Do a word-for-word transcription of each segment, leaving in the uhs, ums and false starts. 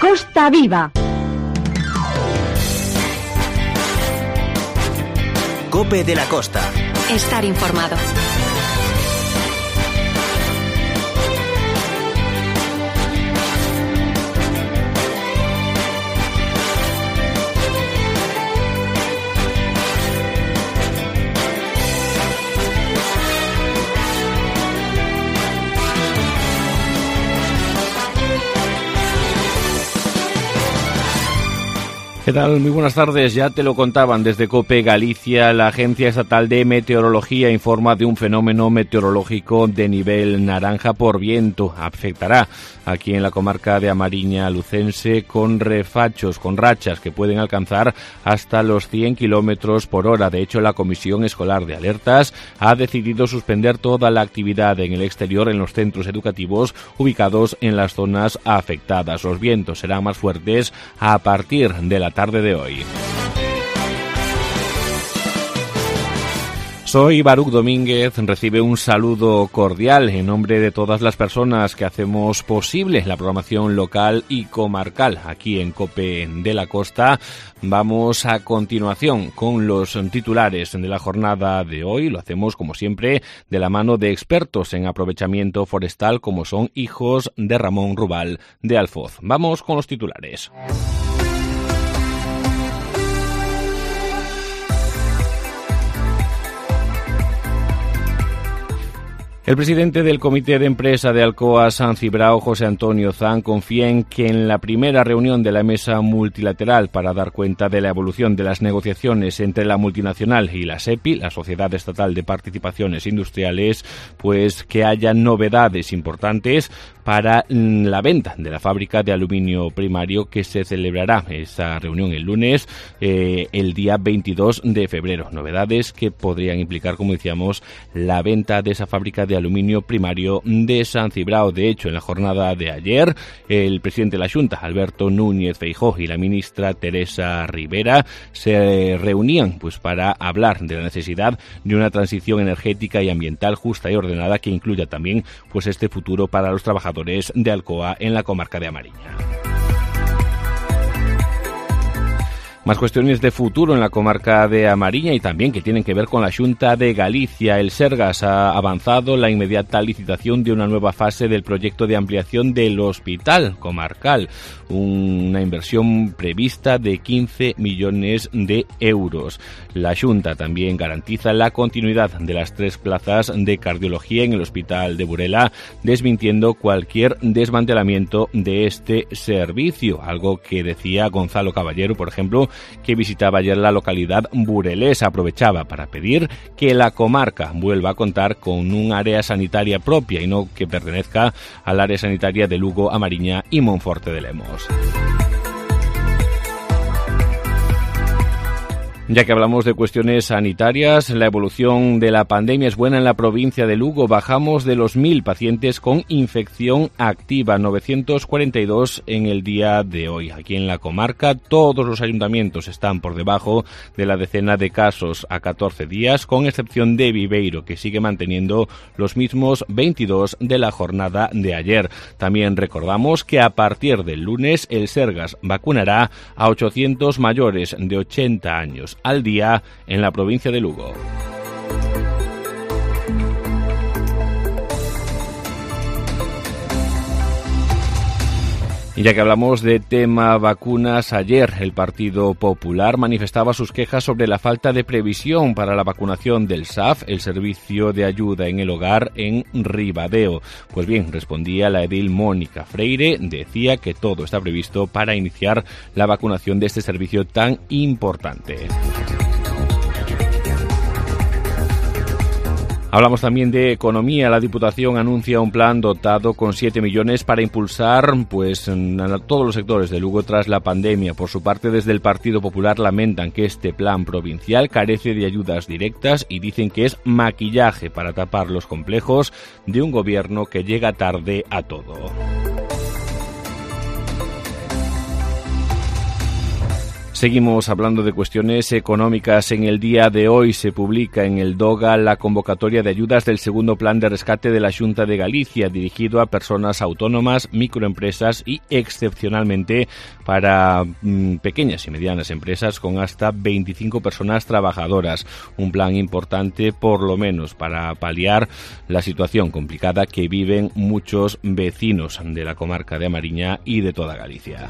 Costa Viva. COPE de la Costa. Estar informado. ¿Qué tal? Muy buenas tardes. Ya te lo contaban desde COPE Galicia. La Agencia Estatal de Meteorología informa de un fenómeno meteorológico de nivel naranja por viento. Afectará aquí en la comarca de Amariña Lucense con refachos, con rachas que pueden alcanzar hasta los cien kilómetros por hora. De hecho, la Comisión Escolar de Alertas ha decidido suspender toda la actividad en el exterior en los centros educativos ubicados en las zonas afectadas. Los vientos serán más fuertes a partir de la tarde de hoy. Soy Baruch Domínguez, recibe un saludo cordial en nombre de todas las personas que hacemos posible la programación local y comarcal aquí en COPE de la Costa. Vamos a continuación con los titulares de la jornada de hoy. Lo hacemos, como siempre, de la mano de expertos en aprovechamiento forestal como son hijos de Ramón Rubal de Alfoz. Vamos con los titulares. El presidente del Comité de Empresa de Alcoa San Cibrao, José Antonio Zan, confía en que en la primera reunión de la mesa multilateral para dar cuenta de la evolución de las negociaciones entre la multinacional y la SEPI, la Sociedad Estatal de Participaciones Industriales, pues que haya novedades importantes para la venta de la fábrica de aluminio primario que se celebrará esa reunión el lunes, eh, el día veintidós de febrero. Novedades que podrían implicar, como decíamos, la venta de esa fábrica de aluminio primario de San Cibrao. De hecho, en la jornada de ayer, el presidente de la Xunta, Alberto Núñez Feijóo, y la ministra Teresa Rivera se reunían pues para hablar de la necesidad de una transición energética y ambiental justa y ordenada que incluya también pues este futuro para los trabajadores de Alcoa en la comarca de Amariña. Más cuestiones de futuro en la comarca de Amariña y también que tienen que ver con la Xunta de Galicia. El Sergas ha avanzado la inmediata licitación de una nueva fase del proyecto de ampliación del hospital comarcal, una inversión prevista de quince millones de euros. La Xunta también garantiza la continuidad de las tres plazas de cardiología en el hospital de Burela, desmintiendo cualquier desmantelamiento de este servicio, algo que decía Gonzalo Caballero, por ejemplo, que visitaba ayer la localidad burelesa. Aprovechaba para pedir que la comarca vuelva a contar con un área sanitaria propia y no que pertenezca al área sanitaria de Lugo, Amariña y Monforte de Lemos. Ya que hablamos de cuestiones sanitarias, la evolución de la pandemia es buena en la provincia de Lugo. Bajamos de los mil pacientes con infección activa, novecientos cuarenta y dos en el día de hoy. Aquí en la comarca todos los ayuntamientos están por debajo de la decena de casos a catorce días, con excepción de Viveiro, que sigue manteniendo los mismos veintidós de la jornada de ayer. También recordamos que a partir del lunes el Sergas vacunará a ochocientos mayores de ochenta años al día en la provincia de Lugo. Y ya que hablamos de tema vacunas, ayer el Partido Popular manifestaba sus quejas sobre la falta de previsión para la vacunación del S A F, el Servicio de Ayuda en el Hogar, en Ribadeo. Pues bien, respondía la edil Mónica Freire, decía que todo está previsto para iniciar la vacunación de este servicio tan importante. Hablamos también de economía. La Diputación anuncia un plan dotado con siete millones para impulsar pues a todos los sectores de Lugo tras la pandemia. Por su parte, desde el Partido Popular lamentan que este plan provincial carece de ayudas directas y dicen que es maquillaje para tapar los complejos de un gobierno que llega tarde a todo. Seguimos hablando de cuestiones económicas. En el día de hoy se publica en el DOGA la convocatoria de ayudas del segundo plan de rescate de la Xunta de Galicia, dirigido a personas autónomas, microempresas y, excepcionalmente, para mmm, pequeñas y medianas empresas con hasta veinticinco personas trabajadoras. Un plan importante, por lo menos, para paliar la situación complicada que viven muchos vecinos de la comarca de A Mariña y de toda Galicia.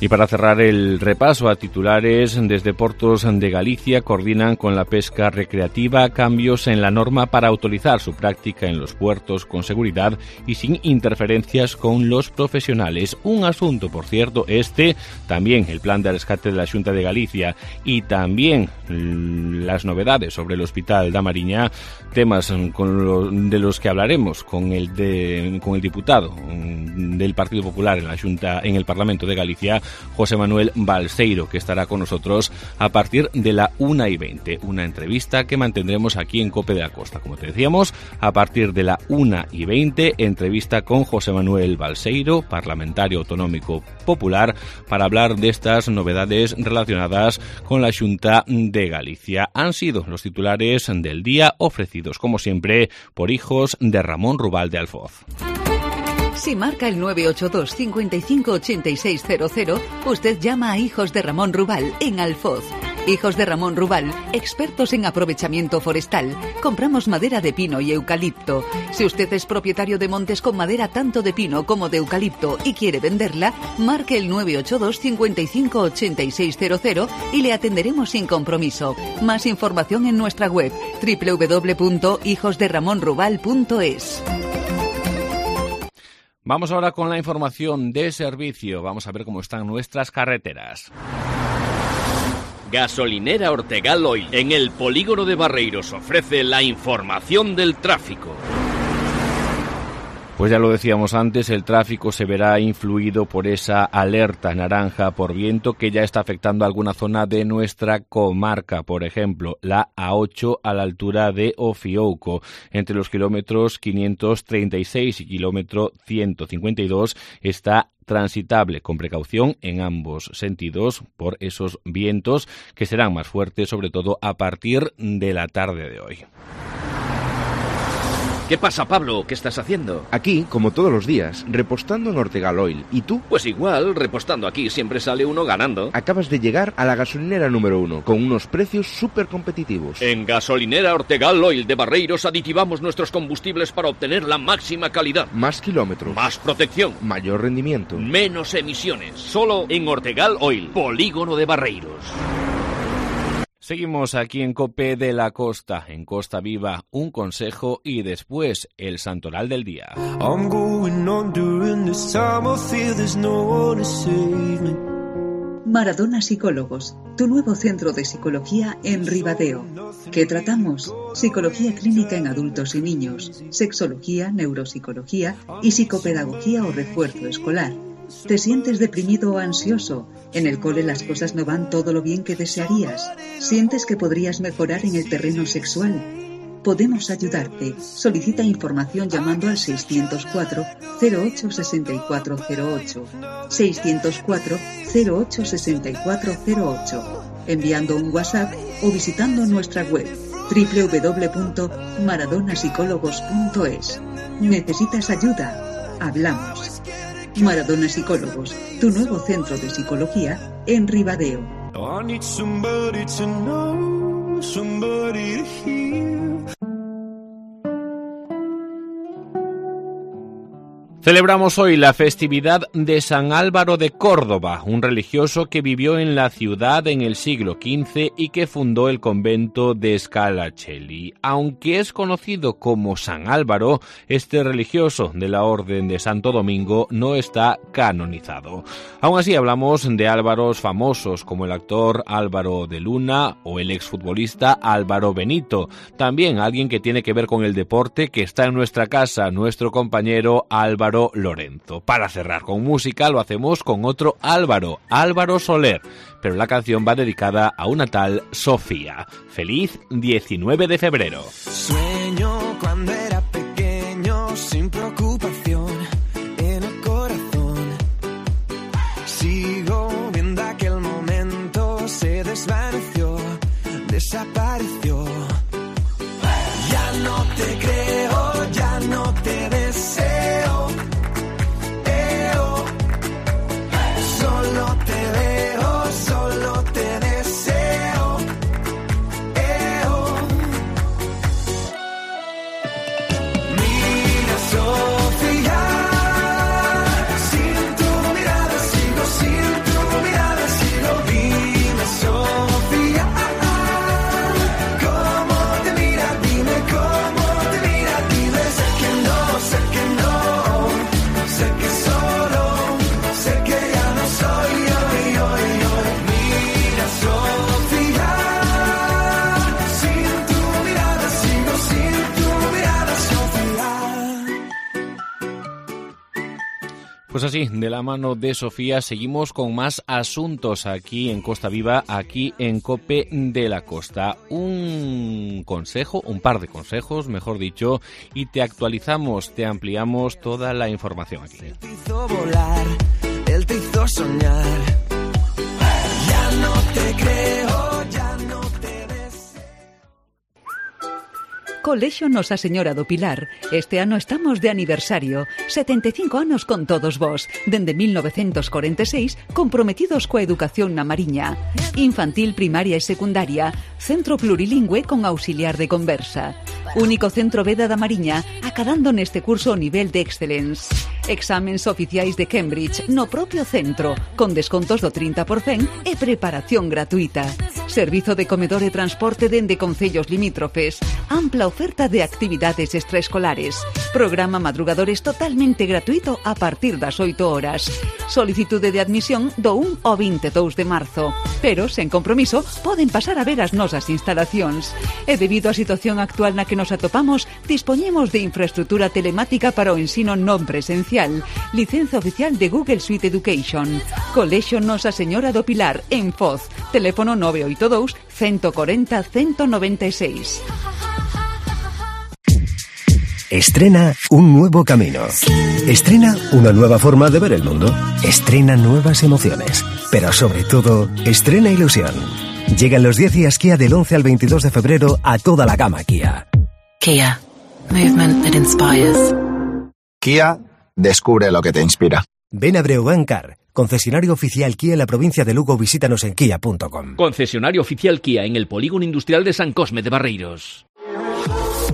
Y para cerrar el repaso a titulares, desde Portos de Galicia coordinan con la pesca recreativa cambios en la norma para autorizar su práctica en los puertos con seguridad y sin interferencias con los profesionales. Un asunto, por cierto, este, también el plan de rescate de la Xunta de Galicia y también las novedades sobre el Hospital da Mariña, temas con lo, de los que hablaremos con el, de, con el diputado del Partido Popular en la Xunta, en el Parlamento de Galicia, José Manuel Balseiro, que estará con nosotros a partir de la una y veinte. Una entrevista que mantendremos aquí en COPE de la Costa. Como te decíamos, a partir de la una y veinte, entrevista con José Manuel Balseiro, parlamentario autonómico popular, para hablar de estas novedades relacionadas con la Xunta de Galicia. Han sido los titulares del día, ofrecidos, como siempre, por Hijos de Ramón Rubal de Alfoz. Si marca el nueve ocho dos, cinco cinco ocho seis cero cero, usted llama a Hijos de Ramón Rubal en Alfoz. Hijos de Ramón Rubal, expertos en aprovechamiento forestal. Compramos madera de pino y eucalipto. Si usted es propietario de montes con madera tanto de pino como de eucalipto y quiere venderla, marque el nueve ocho dos, cinco cinco ocho seis cero cero y le atenderemos sin compromiso. Más información en nuestra web doble u doble u doble u punto hijos de ramón rubal punto es. Vamos ahora con la información de servicio. Vamos a ver cómo están nuestras carreteras. Gasolinera Ortegal Oil, en el polígono de Barreiros, ofrece la información del tráfico. Pues ya lo decíamos antes, el tráfico se verá influido por esa alerta naranja por viento que ya está afectando a alguna zona de nuestra comarca. Por ejemplo, la A ocho a la altura de Ofiouco, entre los kilómetros quinientos treinta y seis y kilómetro ciento cincuenta y dos, está transitable con precaución en ambos sentidos por esos vientos que serán más fuertes, sobre todo a partir de la tarde de hoy. ¿Qué pasa, Pablo? ¿Qué estás haciendo? Aquí, como todos los días, repostando en Ortegal Oil. ¿Y tú? Pues igual, repostando aquí siempre sale uno ganando. Acabas de llegar a la gasolinera número uno, con unos precios súper competitivos. En Gasolinera Ortegal Oil de Barreiros aditivamos nuestros combustibles para obtener la máxima calidad. Más kilómetros. Más protección. Mayor rendimiento. Menos emisiones. Solo en Ortegal Oil, polígono de Barreiros. Seguimos aquí en COPE de la Costa, en Costa Viva, un consejo y después el santoral del día. Maradona Psicólogos, tu nuevo centro de psicología en Ribadeo. ¿Qué tratamos? Psicología clínica en adultos y niños, sexología, neuropsicología y psicopedagogía o refuerzo escolar. ¿Te sientes deprimido o ansioso? ¿En el cole las cosas no van todo lo bien que desearías? ¿Sientes que podrías mejorar en el terreno sexual? Podemos ayudarte. Solicita información llamando al seiscientos cuatro, cero ocho, sesenta y cuatro cero ocho, seiscientos cuatro, cero ocho, sesenta y cuatro cero ocho, enviando un WhatsApp o visitando nuestra web doble u doble u doble u punto maradona psicólogos punto es. ¿Necesitas ayuda? Hablamos. Maradona Psicólogos, tu nuevo centro de psicología en Ribadeo. Celebramos hoy la festividad de San Álvaro de Córdoba, un religioso que vivió en la ciudad en el siglo quince y que fundó el convento de Scalaccelli. Aunque es conocido como San Álvaro, este religioso de la Orden de Santo Domingo no está canonizado. Aún así hablamos de Álvaros famosos como el actor Álvaro de Luna o el exfutbolista Álvaro Benito. También alguien que tiene que ver con el deporte que está en nuestra casa, nuestro compañero Álvaro Lorenzo. Para cerrar con música lo hacemos con otro Álvaro, Álvaro Soler, pero la canción va dedicada a una tal Sofía. Feliz diecinueve de febrero. Sueño cuando era pequeño, sin preocupación, en el corazón Pues así, de la mano de Sofía, seguimos con más asuntos aquí en Costa Viva, aquí en COPE de la Costa. Un consejo, un par de consejos, mejor dicho, y te actualizamos, te ampliamos toda la información aquí. Él te hizo volar, él te hizo soñar. Ya no te creo, ya no te deseo. Colexio Nosa Señora do Pilar. Este ano estamos de aniversario. setenta e cinco anos con todos vos. Dende mil novecentos corenta e seis, comprometidos coa educación na Mariña. Infantil, primaria e secundaria. Centro plurilingüe con auxiliar de conversa. Único centro Veda da Mariña, acadando neste curso o nivel de Excellence. Exámenes oficiais de Cambridge no propio centro, con descontos do trinta por cento e preparación gratuita. Servizo de comedor e transporte dende concellos limítrofes. Ampla oferta de actividades extraescolares. Programa madrugadores totalmente gratuito a partir das oito horas. Solicitude de admisión do un ao vinte e dous de marzo. Pero, sen compromiso, poden pasar a ver as nosas instalacións. E debido á situación actual na que nos atopamos, dispoñemos de infraestructura telemática para o ensino non presencial. Licenza oficial de Google Suite Education. Colexio Nosa Señora do Pilar, en Foz. Teléfono nove oito dous, uno cuatro cero, uno nueve seis. Estrena un nuevo camino. Estrena una nueva forma de ver el mundo. Estrena nuevas emociones. Pero sobre todo, estrena ilusión. Llegan los diez días Kia del once al veintidós de febrero a toda la gama Kia. Kia. Movement that inspires. Kia, descubre lo que te inspira. Ven a Breogán Car, concesionario oficial Kia en la provincia de Lugo. Visítanos en kia punto com. Concesionario oficial Kia en el Polígono Industrial de San Cosme de Barreiros.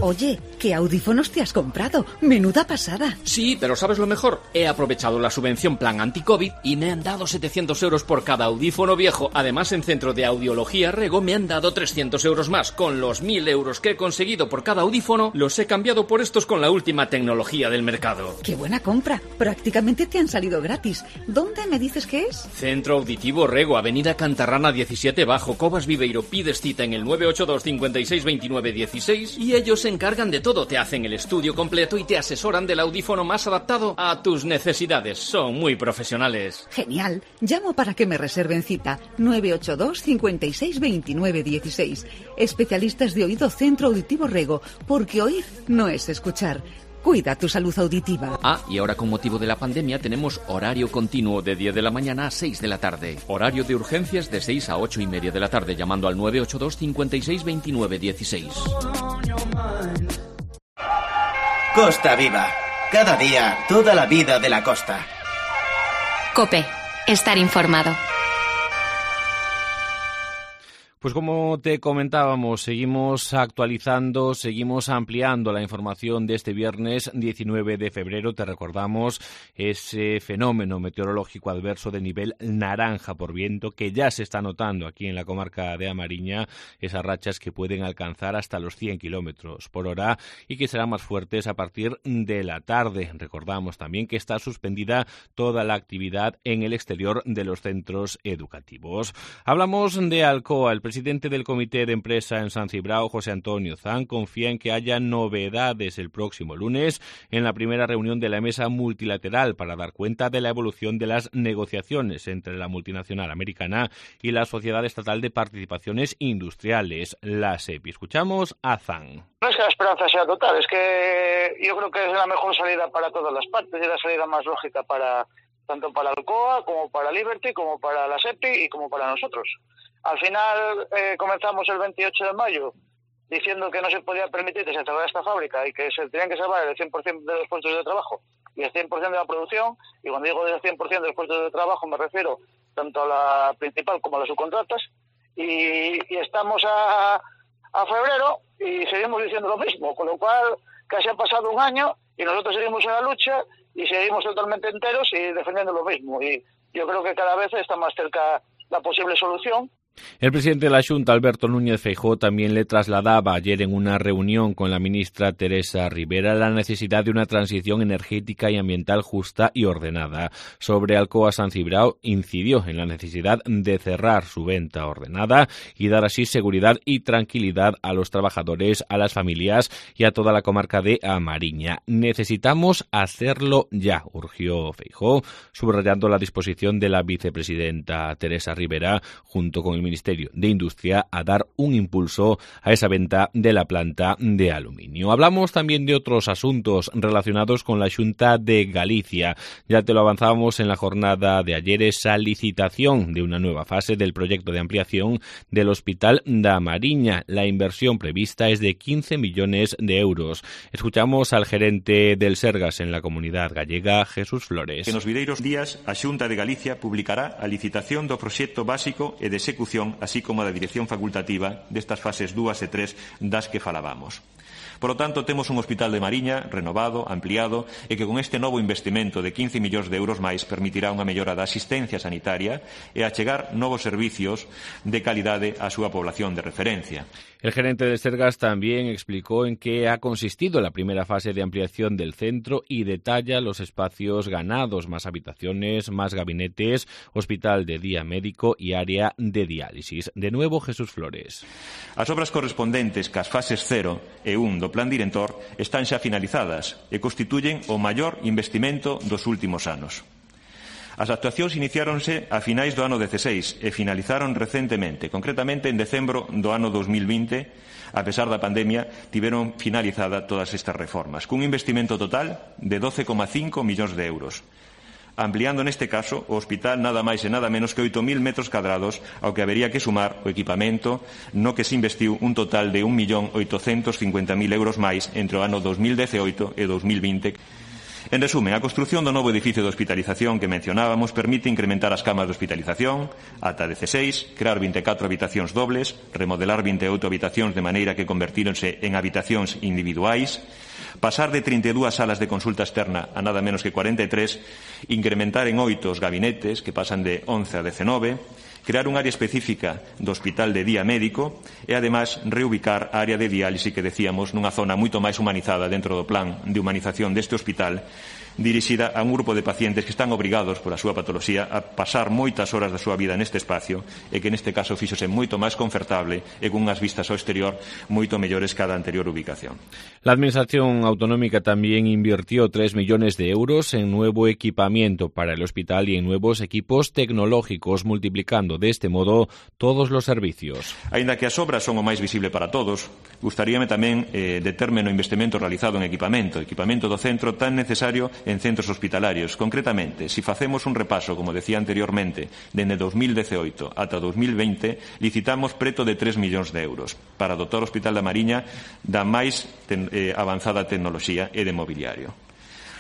Oye, ¿qué audífonos te has comprado? Menuda pasada. Sí, pero ¿sabes lo mejor? He aprovechado la subvención Plan Anti-COVID y me han dado setecientos euros por cada audífono viejo. Además, en Centro de Audiología Rego me han dado trescientos euros más. Con los mil euros que he conseguido por cada audífono, los he cambiado por estos con la última tecnología del mercado. ¡Qué buena compra! Prácticamente te han salido gratis. ¿Dónde me dices que es? Centro Auditivo Rego, Avenida Cantarrana diecisiete Bajo, Cobas Viveiro. Pides cita en el nueve ocho dos, cincuenta y seis, veintinueve, dieciséis y ellos se encargan de todo. Te hacen el estudio completo y te asesoran del audífono más adaptado a tus necesidades. Son muy profesionales. Genial. Llamo para que me reserven cita. nueve ocho dos, cincuenta y seis, veintinueve, dieciséis. Especialistas de oído Centro Auditivo Rego, porque oír no es escuchar. Cuida tu salud auditiva. Ah, y ahora con motivo de la pandemia tenemos horario continuo de diez de la mañana a seis de la tarde. Horario de urgencias de seis a ocho y media de la tarde, llamando al nueve ocho dos, cincuenta y seis, veintinueve, dieciséis. Costa Viva. Cada día, toda la vida de la costa. COPE. Estar informado. Pues como te comentábamos, seguimos actualizando, seguimos ampliando la información de este viernes diecinueve de febrero. Te recordamos ese fenómeno meteorológico adverso de nivel naranja por viento que ya se está notando aquí en la comarca de A Mariña, esas rachas que pueden alcanzar hasta los cien kilómetros por hora y que serán más fuertes a partir de la tarde. Recordamos también que está suspendida toda la actividad en el exterior de los centros educativos. Hablamos de Alcoa. El presidente del Comité de Empresa en San Cibrao, José Antonio Zan, confía en que haya novedades el próximo lunes en la primera reunión de la mesa multilateral para dar cuenta de la evolución de las negociaciones entre la multinacional americana y la Sociedad Estatal de Participaciones Industriales, la SEPI. Escuchamos a Zan. No es que la esperanza sea total, es que yo creo que es la mejor salida para todas las partes y la salida más lógica para tanto para Alcoa como para Liberty, como para la SEPI y como para nosotros. Al final eh, comenzamos el veintiocho de mayo diciendo que no se podía permitir que se cerrara esta fábrica y que se tenían que salvar el cien por ciento de los puestos de trabajo y el cien por ciento de la producción. Y cuando digo del cien por ciento de los puestos de trabajo me refiero tanto a la principal como a las subcontratas. Y, y estamos a, a febrero y seguimos diciendo lo mismo, con lo cual casi ha pasado un año y nosotros seguimos en la lucha y seguimos totalmente enteros y defendiendo lo mismo. Y yo creo que cada vez está más cerca la posible solución. El presidente de la Xunta, Alberto Núñez Feijóo, también le trasladaba ayer en una reunión con la ministra Teresa Ribera la necesidad de una transición energética y ambiental justa y ordenada. Sobre Alcoa San Cibrao, incidió en la necesidad de cerrar su venta ordenada y dar así seguridad y tranquilidad a los trabajadores, a las familias y a toda la comarca de A Mariña. Necesitamos hacerlo ya, urgió Feijóo, subrayando la disposición de la vicepresidenta Teresa Ribera junto con el Ministerio de Industria a dar un impulso a esa venta de la planta de aluminio. Hablamos también de otros asuntos relacionados con la Xunta de Galicia. Ya te lo avanzábamos en la jornada de ayer, esa licitación de una nueva fase del proyecto de ampliación del Hospital da Mariña. La inversión prevista es de quince millones de euros. Escuchamos al gerente del Sergas en la Comunidad Gallega, Jesús Flores. Que nos videiros días a Xunta de Galicia publicará a licitación do proxecto básico e de execución, así como da dirección facultativa destas fases dúas e tres das que falábamos. Por lo tanto, temos un hospital de Mariña renovado, ampliado e que con este novo investimento de quince millóns de euros máis permitirá unha mellora da asistencia sanitaria e achegar novos servicios de calidade á súa población de referencia. El gerente de Sergas también explicó en qué ha consistido la primera fase de ampliación del centro y detalla los espacios ganados, más habitaciones, más gabinetes, hospital de día médico y área de diálisis. De nuevo, Jesús Flores. As obras correspondentes cas fases cero e un do plan director están xa finalizadas e constituyen o maior investimento dos últimos anos. As actuacións iniciáronse a finais do ano dezseis e finalizaron recentemente, concretamente en decembro do ano dos mil vinte, a pesar da pandemia, tiveron finalizada todas estas reformas, cun investimento total de doce coma cinco millóns de euros, ampliando neste caso o hospital nada máis e nada menos que oito mil metros cadrados, ao que habería que sumar o equipamento no que se investiu un total de un millón oitocentos cincuenta mil euros máis entre o ano dos mil dezaoito e dos mil vinte. En resumen, a construción do novo edificio de hospitalización que mencionábamos permite incrementar as camas de hospitalización ata dezseis, crear vinte e catro habitacións dobles, remodelar vinte e oito habitacións de maneira que convertíronse en habitacións individuais, pasar de trinta e dúas salas de consulta externa a nada menos que cuarenta e tres, incrementar en oito os gabinetes, que pasan de once a dezenove, crear un área específica do hospital de día médico e, además, reubicar a área de diálise que decíamos nunha zona moito máis humanizada dentro do plan de humanización deste hospital, dirixida a un grupo de pacientes que están obrigados pola súa patoloxía a pasar moitas horas da súa vida neste espacio e que neste caso fíxose moito máis confortable e con unhas vistas ao exterior moito mellores que a da anterior ubicación. La Administración Autonómica también invirtió tres millones de euros en nuevo equipamiento para el hospital y en nuevos equipos tecnológicos, multiplicando de este modo todos los servicios. Aínda que as obras son o máis visible para todos, gustaríame tamén eh, determe no investimento realizado en equipamento, equipamento do centro tan necesario en centros hospitalarios. Concretamente, si facemos un repaso, como decía anteriormente, dende dos mil dezaoito ata dos mil vinte, licitamos preto de tres millóns de euros para dotar o Hospital da Mariña da máis ten, eh, avanzada tecnoloxía e de mobiliario.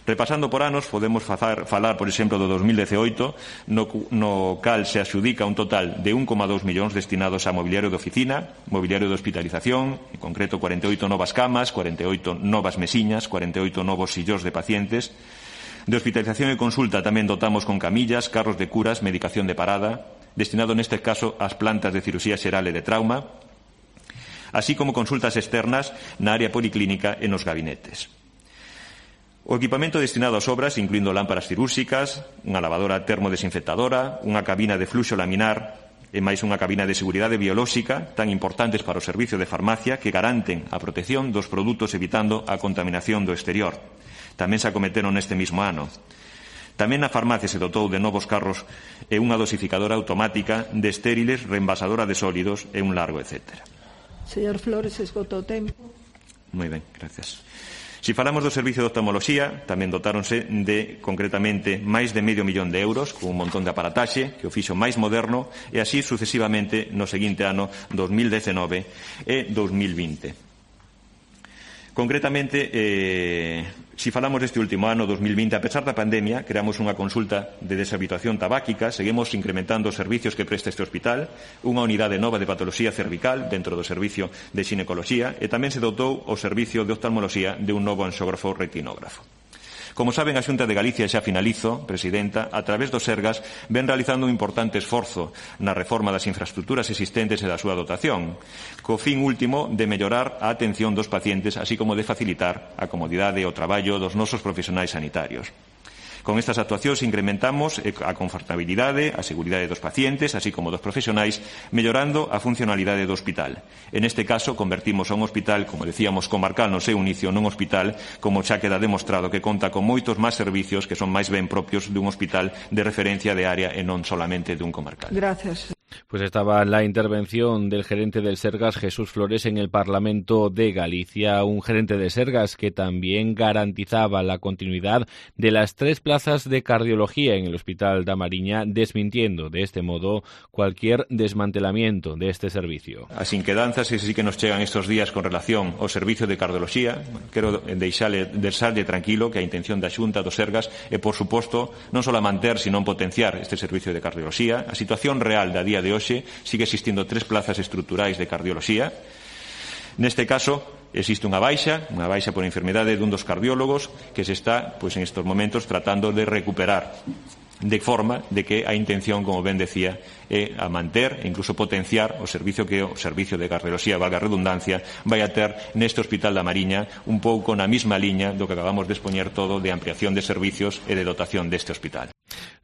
Repasando por anos, podemos falar, falar, por exemplo, do dos mil dezaoito, no, no cal se axudica un total de un coma dos millóns destinados a mobiliario de oficina, mobiliario de hospitalización, en concreto cuarenta e oito novas camas, cuarenta e oito novas mesiñas, cuarenta e oito novos sillóns de pacientes. De hospitalización e consulta tamén dotamos con camillas, carros de curas, medicación de parada, destinado neste caso ás plantas de cirurxía xeral e de trauma, así como consultas externas na área policlínica e nos gabinetes. O equipamento destinado ás obras, incluindo lámparas cirúrxicas, unha lavadora termodesinfectadora, unha cabina de fluxo laminar e máis unha cabina de seguridade biolóxica tan importantes para o servicio de farmacia que garanten a protección dos produtos evitando a contaminación do exterior. Tamén se acometeron neste mismo ano. Tamén na farmacia se dotou de novos carros e unha dosificadora automática de estériles, reenvasadora de sólidos e un largo etcétera. Señor Flores, esgotou o tempo. Moi ben, gracias. Si falamos do servicio de oftalmoloxía, tamén dotáronse de, concretamente, máis de medio millón de euros, con un montón de aparataxe, que o fixo máis moderno, e así sucesivamente no seguinte ano dos mil dezenove e dos mil vinte. Concretamente, eh, si falamos deste último ano, dos mil vinte, a pesar da pandemia, creamos unha consulta de deshabituación tabáquica, seguimos incrementando os servicios que presta este hospital, unha unidade nova de patoloxía cervical dentro do servicio de xinecoloxía e tamén se dotou o servicio de oftalmoloxía de un novo anxógrafo retinógrafo. Como saben, a Xunta de Galicia, xa finalizo, Presidenta, a través do Sergas, ven realizando un importante esforzo na reforma das infraestructuras existentes e da súa dotación, co fin último de mellorar a atención dos pacientes, así como de facilitar a comodidade e o traballo dos nosos profesionais sanitarios. Con estas actuacións incrementamos a confortabilidade, a seguridade dos pacientes, así como dos profesionais, mellorando a funcionalidade do hospital. En este caso, convertimos a un hospital, como decíamos, comarcal no seu inicio, nun hospital, como xa queda demostrado, que conta con moitos máis servicios que son máis ben propios dun hospital de referencia de área e non solamente dun comarcal. Gracias. Pues estaba la intervención del gerente del Sergas, Jesús Flores, en el Parlamento de Galicia, un gerente de Sergas que también garantizaba la continuidad de las tres plazas de cardiología en el Hospital da Mariña, desmintiendo de este modo cualquier desmantelamiento de este servicio. As inquedanzas que sí que nos chegan estos días con relación ao servicio de cardiología, quero deixarle, deixarle tranquilo que a intención da Xunta do Sergas é, por suposto, non só manter, sino potenciar este servicio de cardiología. A situación real da día de hoxe sigue existindo tres plazas estruturais de cardioloxía. Neste caso, existe unha baixa, unha baixa por enfermedade dun dos cardiólogos que se está, pois, en estos momentos tratando de recuperar, de forma de que a intención, como ben decía, é a manter e incluso potenciar o servicio que o servicio de cardioloxía, valga a redundancia, vai a ter neste Hospital da Mariña, un pouco na mesma liña do que acabamos de expoñer todo de ampliación de servicios e de dotación deste hospital.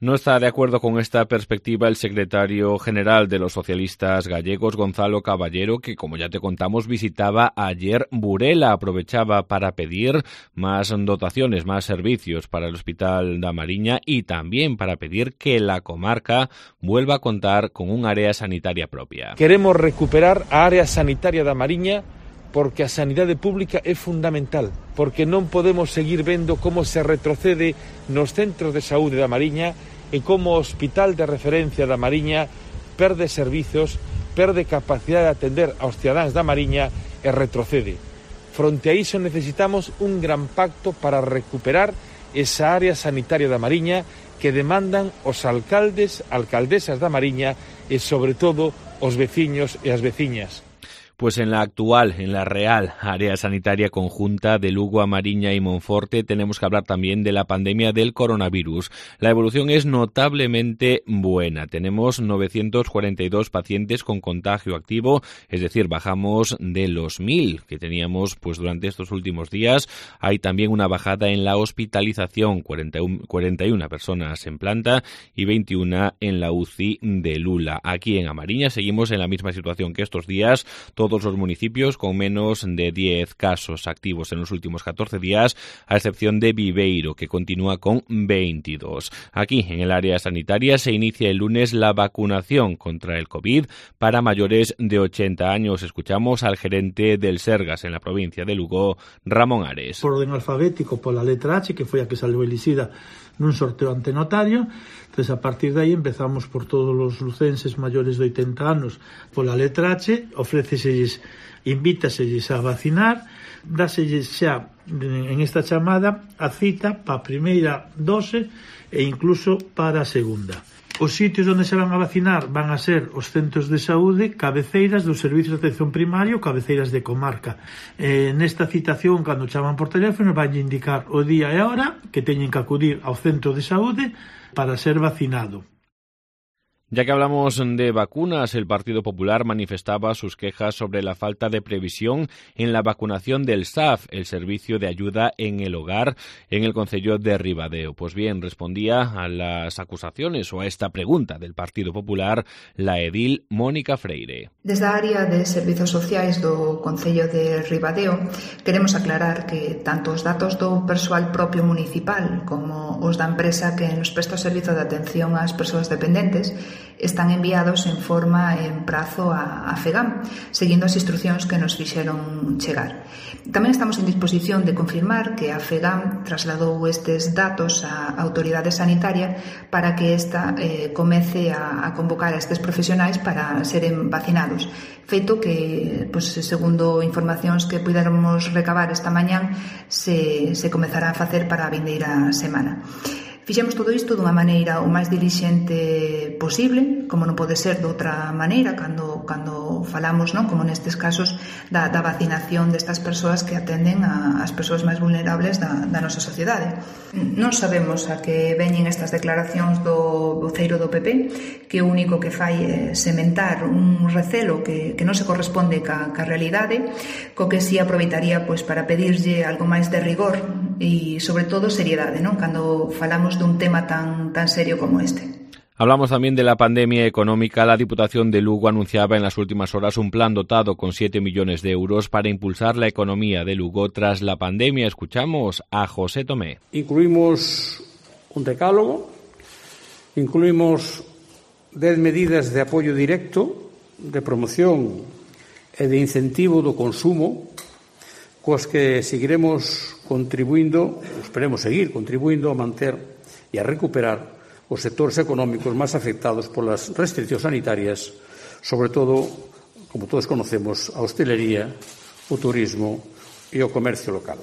No está de acuerdo con esta perspectiva el secretario general de los socialistas gallegos, Gonzalo Caballero, que, como ya te contamos, visitaba ayer Burela. Aprovechaba para pedir más dotaciones, más servicios para el Hospital da Mariña y también para pedir que la comarca vuelva a contar con un área sanitaria propia. Queremos recuperar a área sanitaria da Mariña porque a sanidade pública é fundamental, porque non podemos seguir vendo como se retrocede nos centros de saúde da Mariña e como o Hospital de Referencia da Mariña perde servizos, perde capacidade de atender aos cidadáns da Mariña e retrocede. Fronte a iso necesitamos un gran pacto para recuperar esa área sanitaria da Mariña que demandan os alcaldes, alcaldesas da Mariña e, sobre todo, os veciños e as veciñas. Pues en la actual, en la real área sanitaria conjunta de Lugo, Mariña y Monforte tenemos que hablar también de la pandemia del coronavirus. La evolución es notablemente buena. Tenemos novecientos cuarenta y dos pacientes con contagio activo, es decir, bajamos de los mil que teníamos pues durante estos últimos días. Hay también una bajada en la hospitalización, cuarenta y una personas en planta y veintiuna en la U C I de Lula. Aquí en Mariña seguimos en la misma situación que estos días. Todo Todos los municipios con menos de diez casos activos en los últimos catorce días, a excepción de Viveiro, que continúa con veintidós. Aquí, en el área sanitaria, se inicia el lunes la vacunación contra el COVID para mayores de ochenta años. Escuchamos al gerente del Sergas en la provincia de Lugo, Ramón Ares. Por orden alfabético, pola letra H, que foi a que salvou elixida nun sorteo ante notario. Entonces, a partir de aí empezamos por todos os lucenses maiores de oitenta anos pola letra H, ofréceselles, invítaselles a vacinar, dáselles xa en esta chamada a cita para a primeira dose e incluso para a segunda. Os sitios onde se van a vacinar van a ser os centros de saúde, cabeceiras dos servicios de atención primaria ou cabeceiras de comarca. Eh, nesta citación, cando chaman por teléfono, van a indicar o día e a hora que teñen que acudir ao centro de saúde para ser vacinado. Ya que hablamos de vacunas, el Partido Popular manifestaba sus quejas sobre la falta de previsión en la vacunación del S A F, el Servicio de Ayuda en el Hogar, en el concello de Ribadeo. Pues bien, respondía a las acusaciones o a esta pregunta del Partido Popular la edil Mónica Freire. Desde a área de Servizos Sociais do concello de Ribadeo queremos aclarar que tanto os datos do persoal propio municipal como os da empresa que nos presta o servizo de atención ás persoas dependentes están enviados en forma e en prazo a, a FEGAM, seguindo as instruccións que nos fixeron chegar. Tamén estamos en disposición de confirmar que a FEGAM trasladou estes datos á autoridade sanitaria para que esta eh, comece a, a convocar a estes profesionais para seren vacinados. Feito que, pues, segundo informacións que puidéramos recabar esta mañán, se, se comezará a facer para a vindeira semana. Fixemos todo isto dunha maneira o máis dilixente posible, como non pode ser de outra maneira, cando, cando falamos, non, como nestes casos, da, da vacinación destas persoas que atenden a, as persoas máis vulnerables da, da nosa sociedade. Non sabemos a que veñen estas declaracións do voceiro do P P, que o único que fai é sementar un recelo que, que non se corresponde ca, ca realidade, co que si aproveitaría pois, para pedirlle algo máis de rigor e, sobre todo, seriedade, non? Cando falamos dun tema tan, tan serio como este. Hablamos también de la pandemia económica. La Diputación de Lugo anunciaba en las últimas horas un plan dotado con siete millones de euros para impulsar la economía de Lugo tras la pandemia. Escuchamos a José Tomé. Incluimos un decálogo, incluimos dez medidas de apoio directo, de promoción e de incentivo do consumo, coas que seguiremos contribuindo, esperemos seguir contribuindo a manter e a recuperar os sectores económicos máis afectados polas restriccións sanitarias, sobre todo, como todos conocemos, a hostelería, o turismo e o comercio local.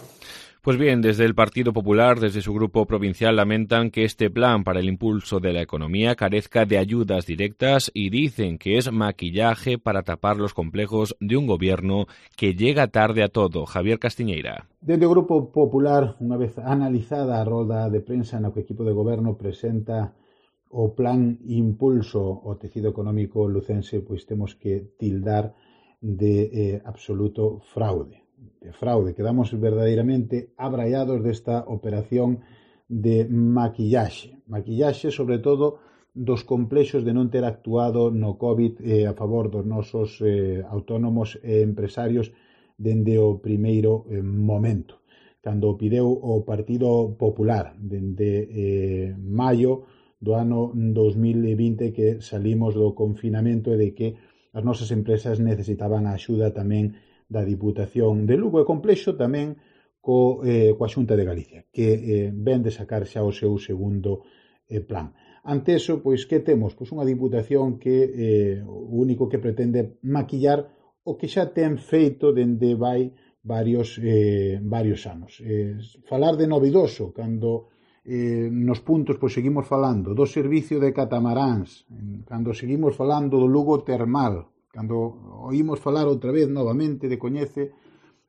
Pues bien, desde el Partido Popular, desde su grupo provincial, lamentan que este plan para el impulso de la economía carezca de ayudas directas y dicen que es maquillaje para tapar los complejos de un gobierno que llega tarde a todo. Javier Castiñeira. Desde o Grupo Popular, unha vez analizada a rolda de prensa no que o equipo de goberno presenta o plan impulso ao tecido económico lucense, pois temos que tildar de eh, absoluto fraude. de fraude. Quedamos verdadeiramente abraiados desta operación de maquillaxe. Maquillaxe, sobre todo, dos complexos de non ter actuado no COVID eh, a favor dos nosos eh, autónomos e empresarios dende o primeiro eh, momento. Cando pideu o Partido Popular dende eh, maio do ano dos mil vinte que salimos do confinamento e de que as nosas empresas necesitaban a axuda tamén da Diputación de Lugo e complexo tamén co, eh, coa Xunta de Galicia, que eh, ven de sacar xa o seu segundo eh, plan. Ante eso, pois, que temos? Pois unha Diputación que eh, o único que pretende maquillar o que xa ten feito dende vai varios, eh, varios anos. Eh, falar de novidoso, cando eh, nos puntos pois, seguimos falando do servicio de catamaráns, cando seguimos falando do Lugo Termal, cando oímos falar outra vez novamente de Coñece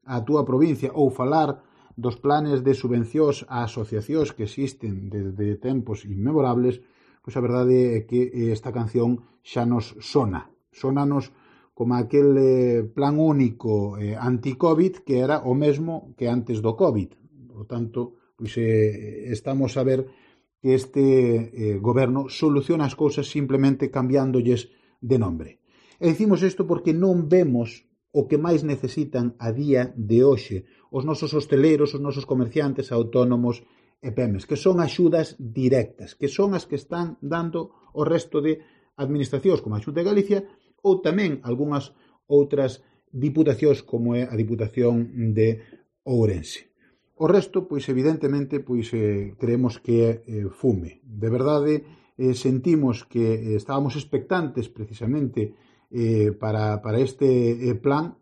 a túa provincia ou falar dos planes de subvencións a asociacións que existen desde tempos inmemorables, pois a verdade é que esta canción xa nos sona. Sónanos como aquel eh, plan único eh, anti-COVID que era o mesmo que antes do COVID. Por tanto, pois eh, estamos a ver que este eh, goberno soluciona as cousas simplemente cambiándolles de nombre. E dicimos isto porque non vemos o que máis necesitan a día de hoxe os nosos hosteleiros, os nosos comerciantes, autónomos e pemes, que son axudas directas, que son as que están dando o resto de administracións como a Xunta de Galicia ou tamén algunhas outras diputacións como é a Diputación de Ourense. O resto, pois evidentemente, pois eh, creemos que é eh, fume. De verdade, eh, sentimos que eh, estábamos expectantes precisamente Eh, para, para este eh, plan.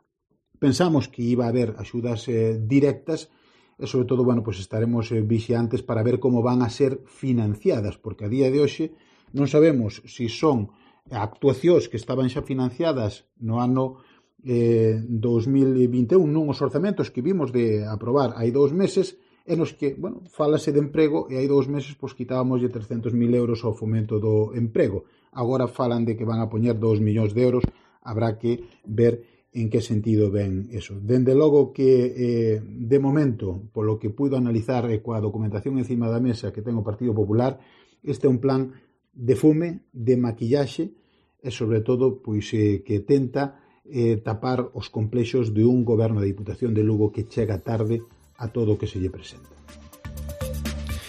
Pensamos que iba a haber axudas eh, directas e, sobre todo, bueno, pues estaremos eh, vixiantes para ver como van a ser financiadas, porque a día de hoxe non sabemos se si son actuacións que estaban xa financiadas no ano eh, dos mil vinte e un, nun os orzamentos que vimos de aprobar hai dous meses, e nos que, bueno, falase de emprego e hai dous meses pois quitábamos de trescentos mil euros ao fomento do emprego. Agora falan de que van a poñer dous millóns de euros, habrá que ver en que sentido ven eso. Dende logo que, eh, de momento, polo que puido analizar e coa documentación encima da mesa que ten o Partido Popular, este é un plan de fume, de maquillaxe e, sobre todo, pois eh, que tenta eh, tapar os complexos de un goberno da Diputación de Lugo que chega tarde a todo o que se lle presenta.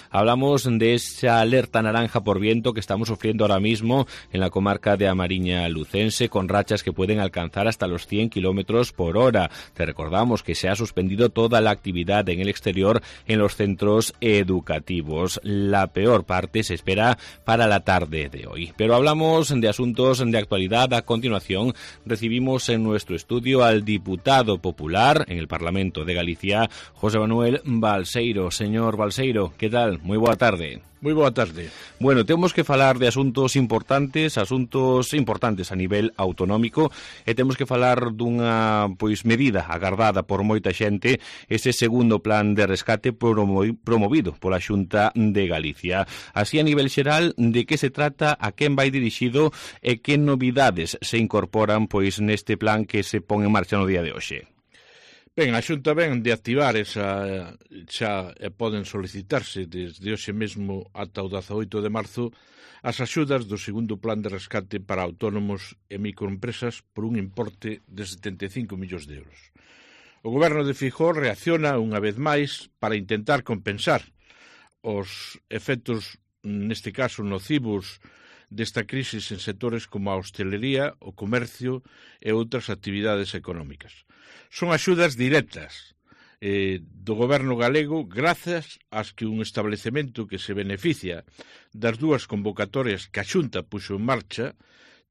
Hablamos de esa alerta naranja por viento que estamos sufriendo ahora mismo en la comarca de Amariña Lucense, con rachas que pueden alcanzar hasta los cien kilómetros por hora. Te recordamos que se ha suspendido toda la actividad en el exterior en los centros educativos. La peor parte se espera para la tarde de hoy. Pero hablamos de asuntos de actualidad. A continuación recibimos en nuestro estudio al diputado popular en el Parlamento de Galicia, José Manuel Balseiro. Señor Balseiro, ¿qué tal? moi boa tarde. Moi boa tarde. Bueno, temos que falar de asuntos importantes, asuntos importantes a nivel autonómico, e temos que falar dunha pois medida agardada por moita xente, ese segundo plan de rescate promovido pola Xunta de Galicia. Así, a nivel xeral, de que se trata, a quen vai dirixido e que novidades se incorporan pois neste plan que se pon en marcha no día de hoxe. Ben, a Xunta ven de activar esa, xa e poden solicitarse desde hoxe mesmo ata o dezaoito de marzo as axudas do segundo plan de rescate para autónomos e microempresas por un importe de setenta e cinco millóns de euros. O Goberno de Feijóo reacciona unha vez máis para intentar compensar os efectos, neste caso nocivos, desta crise en sectores como a hostelería, o comercio e outras actividades económicas. Son axudas directas eh, do goberno galego grazas ás que un establecemento que se beneficia das dúas convocatorias que a Xunta puxo en marcha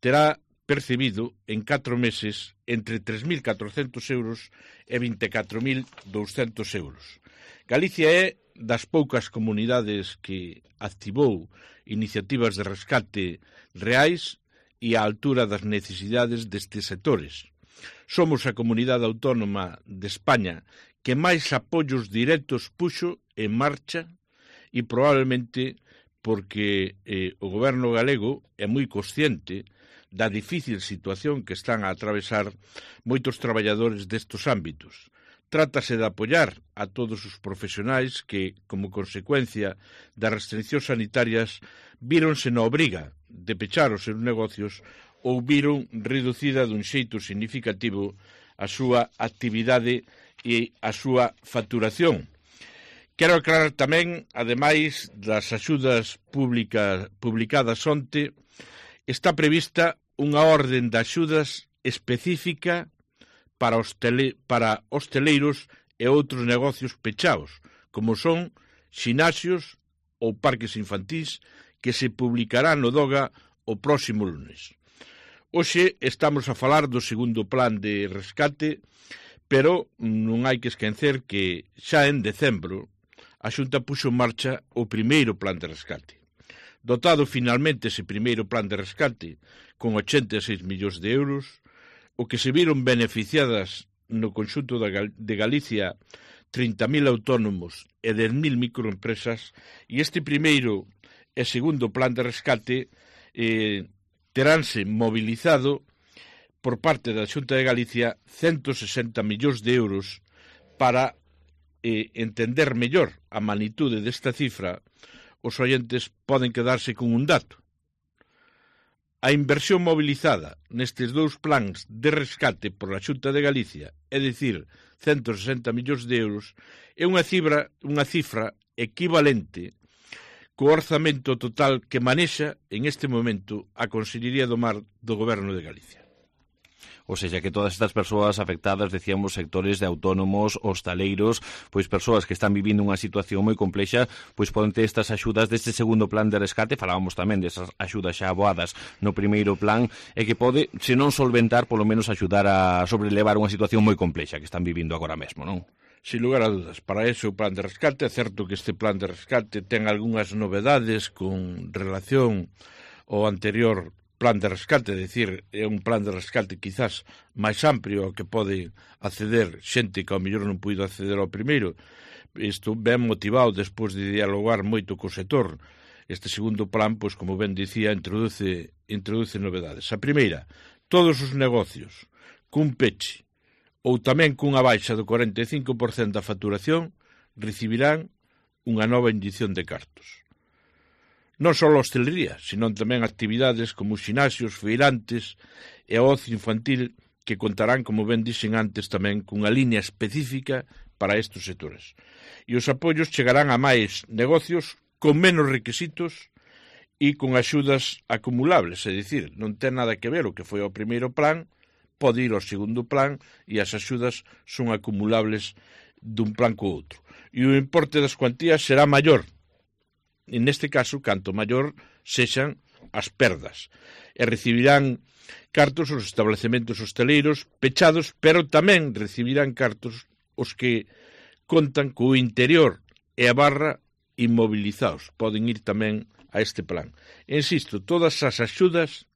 terá percibido en catro meses entre tres mil catrocentos euros e vinte e catro mil douscentos euros. Galicia é das poucas comunidades que activou iniciativas de rescate reais e á altura das necesidades destes sectores. Somos a comunidade autónoma de España que máis apoios directos puxo en marcha e probablemente porque eh, o goberno galego é moi consciente da difícil situación que están a atravesar moitos traballadores destes ámbitos. Trátase de apoiar a todos os profesionais que, como consecuencia das restriccións sanitarias, víronse na obriga de pechar os seus negocios ou viron reducida dun xeito significativo a súa actividade e a súa facturación. Quero aclarar tamén, ademais das axudas pública, publicadas onte, está prevista unha orden de axudas específica para, hostele, para hosteleiros e outros negocios pechados, como son xinaxios ou parques infantís, que se publicará no DOGA o próximo lunes. Hoxe estamos a falar do segundo plan de rescate, pero non hai que esquecer que xa en decembro a Xunta puxo en marcha o primeiro plan de rescate. Dotado finalmente ese primeiro plan de rescate con ochenta e seis millóns de euros, o que se viron beneficiadas no conxunto de Galicia trinta mil autónomos e dez mil microempresas, e este primeiro e segundo plan de rescate eh, teránse mobilizado por parte da Xunta de Galicia ciento sesenta millóns de euros para eh, entender mellor a magnitude desta cifra. Os oyentes poden quedarse con un dato. A inversión mobilizada nestes dous plans de rescate por a Xunta de Galicia, é dicir, ciento sesenta millóns de euros, é unha cifra, unha cifra equivalente co orzamento total que manexa en este momento a Consellería do Mar do Goberno de Galicia. Ou seja, que todas estas persoas afectadas, decíamos, sectores de autónomos, hostaleiros, pois persoas que están vivindo unha situación moi complexa, pois poden ter estas axudas deste segundo plan de rescate. Falábamos tamén desas axudas xa aboadas no primeiro plan, e que pode, se non solventar, polo menos axudar a sobrelevar unha situación moi complexa que están vivindo agora mesmo, non? Sin lugar a dudas, para eso o plan de rescate, é certo que este plan de rescate ten algunhas novedades con relación ao anterior plan de rescate, é dicir, é un plan de rescate quizás máis amplio ao que pode acceder xente que ao mellor non puido acceder ao primeiro. Isto ben motivado despois de dialogar moito co sector. Este segundo plan, pois como ben dicía, introduce, introduce novedades. A primeira, todos os negocios cun peche ou tamén cunha baixa do cuarenta e cinco por cento da facturación recibirán unha nova inyección de cartos. Non só a hostelería, senón tamén actividades como xinaxios, feirantes e o ocio infantil, que contarán, como ben dixen antes, tamén cunha liña específica para estes sectores. E os apoios chegarán a máis negocios con menos requisitos e con axudas acumulables, é dicir, non ten nada que ver o que foi o primeiro plan, pode ir ao segundo plan e as axudas son acumulables dun plan co outro. E o importe das cuantías será maior, en este caso, canto maior sexan as perdas, e recibirán cartos os establecementos hosteleiros pechados, pero tamén recibirán cartos os que contan co interior e a barra inmovilizados poden ir tamén a este plan. Insisto, todas as axudas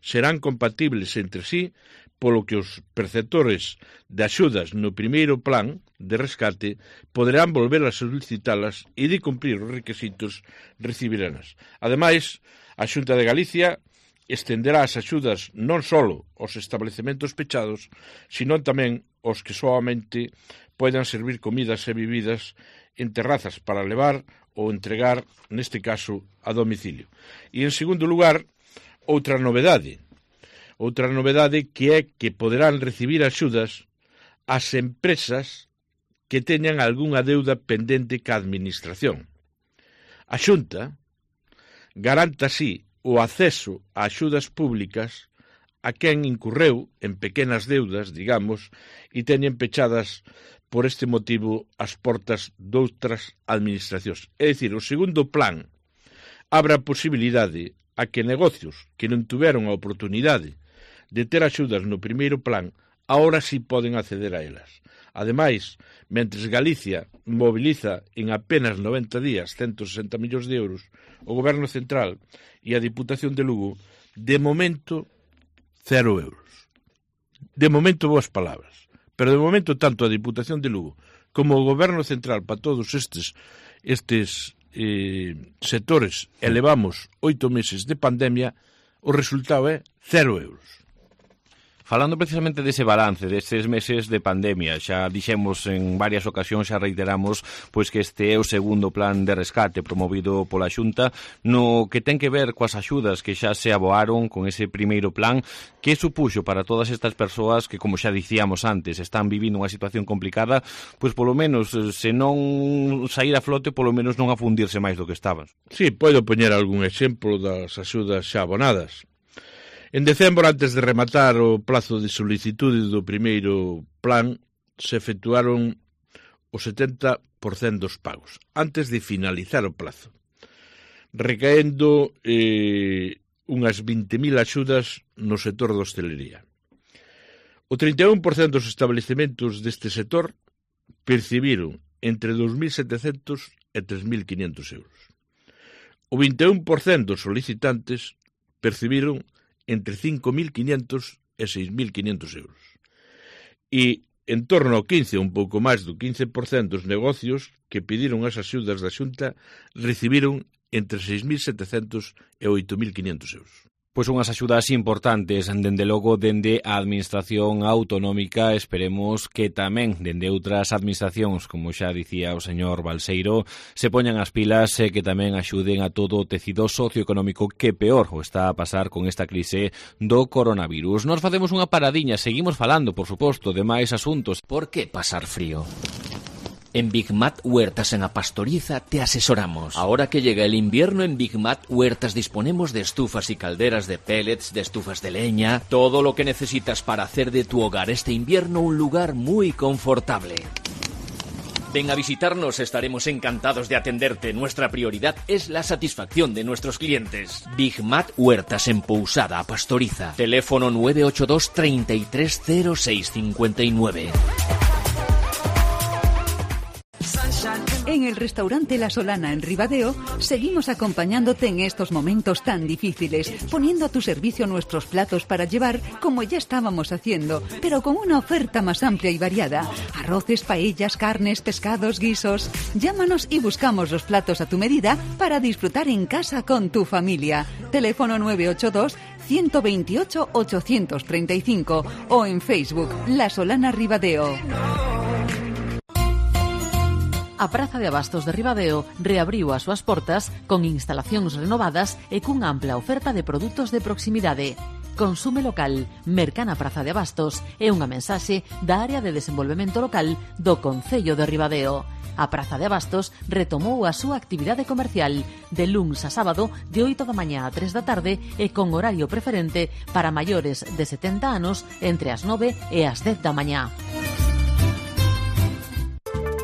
serán compatibles entre sí, polo que os perceptores de axudas no primeiro plan de rescate poderán volver a solicitalas e de cumprir os requisitos recibiranas. Ademais, a Xunta de Galicia estenderá as axudas non só aos establecementos pechados, sino tamén aos que soamente poidan servir comidas e bebidas en terrazas para levar ou entregar, neste caso, a domicilio. E, en segundo lugar, outra novedade, outra novedade que é que poderán recibir axudas as empresas que teñan algunha deuda pendente ca administración. A Xunta garanta así o acceso a axudas públicas a quen incurreu en pequenas deudas, digamos, e teñen pechadas por este motivo as portas doutras administracións. É dicir, o segundo plan abre a posibilidade a que negocios que non tuveron a oportunidade de ter axudas no primeiro plan, agora sí poden acceder a elas. Ademais, mentres Galicia mobiliza en apenas noventa días ciento sesenta millóns de euros, o Goberno Central e a Diputación de Lugo, de momento, cero euros. De momento, boas palabras. Pero de momento, tanto a Diputación de Lugo como o Goberno Central para todos estes, estes eh, sectores elevamos oito meses de pandemia, o resultado é cero euros. Falando precisamente dese balance destes meses de pandemia, xa dixemos en varias ocasións, xa reiteramos, pois que este é o segundo plan de rescate promovido pola Xunta, no que ten que ver coas axudas que xa se aboaron con ese primeiro plan, que supuxo para todas estas persoas que, como xa dicíamos antes, están vivindo unha situación complicada, pois polo menos, se non sair a flote, polo menos non afundirse máis do que estaban. Sí, podo poñer algún exemplo das axudas xa abonadas. En decembro, antes de rematar o plazo de solicitude do primeiro plan, se efectuaron o setenta por cento dos pagos, antes de finalizar o plazo, recaendo eh, unhas vinte mil axudas no sector da hostelería. O trinta e un por cento dos establecementos deste sector percibiron entre dous mil setecentos e tres mil quinhentos euros. O vinte e un por cento dos solicitantes percibiron entre cinco mil quinhentos e seis mil quinhentos euros. E en torno ao quince, un pouco máis do quince por cento dos negocios que pediron as axudas da Xunta recibiron entre seis mil setecentos e oito mil quinhentos euros. Pois unhas axudas importantes, dende logo, dende a Administración Autonómica, esperemos que tamén dende outras administracións, como xa dicía o señor Balseiro, se poñan as pilas e que tamén axuden a todo o tecido socioeconómico que peor o está a pasar con esta crise do coronavirus. Nos facemos unha paradiña, seguimos falando, por suposto, de máis asuntos. Por que pasar frío? En Big Mat Huertas en La Pastoriza te asesoramos. Ahora que llega el invierno, en Big Mat Huertas disponemos de estufas y calderas de pellets, de estufas de leña, todo lo que necesitas para hacer de tu hogar este invierno un lugar muy confortable. Ven a visitarnos, estaremos encantados de atenderte. Nuestra prioridad es la satisfacción de nuestros clientes. Big Mat Huertas en Pousada, A Pastoriza. Teléfono nueve ocho dos, treinta y tres, cero seis cincuenta y nueve. En el restaurante La Solana en Ribadeo seguimos acompañándote en estos momentos tan difíciles, poniendo a tu servicio nuestros platos para llevar como ya estábamos haciendo, pero con una oferta más amplia y variada. Arroces, paellas, carnes, pescados, guisos. Llámanos y buscamos los platos a tu medida para disfrutar en casa con tu familia. Teléfono nueve ocho dos, ciento veintiocho, ochocientos treinta y cinco o en Facebook La Solana Ribadeo. A Praza de Abastos de Ribadeo reabriu as súas portas con instalacións renovadas e cunha ampla oferta de produtos de proximidade. Consume local, Mercana Praza de Abastos é unha mensaxe da área de desenvolvemento local do Concello de Ribadeo. A Praza de Abastos retomou a súa actividade comercial de luns a sábado de oito da mañá a tres da tarde e con horario preferente para maiores de setenta anos entre as nove e as dez da mañá.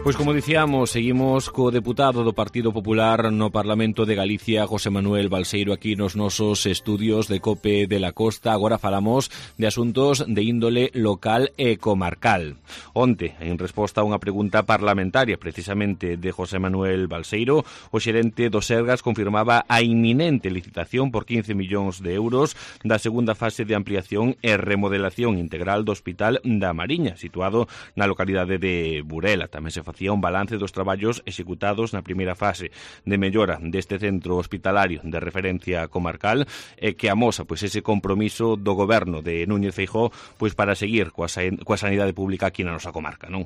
Pois Pois como dicíamos, seguimos co deputado do Partido Popular no Parlamento de Galicia, José Manuel Balseiro, aquí nos nosos estudios de COPE de la Costa. Agora falamos de asuntos de índole local e comarcal. Onte, en resposta a unha pregunta parlamentaria precisamente de José Manuel Balseiro, o xerente do Sergas confirmaba a inminente licitación por quince millóns de euros da segunda fase de ampliación e remodelación integral do Hospital da Mariña, situado na localidade de Burela. Tamén se facía un balance dos traballos executados na primeira fase de mellora deste centro hospitalario de referencia comarcal e que amosa pois ese compromiso do goberno de Núñez Feijóo pois para seguir coa, coa sanidade pública aquí na nosa comarca, non?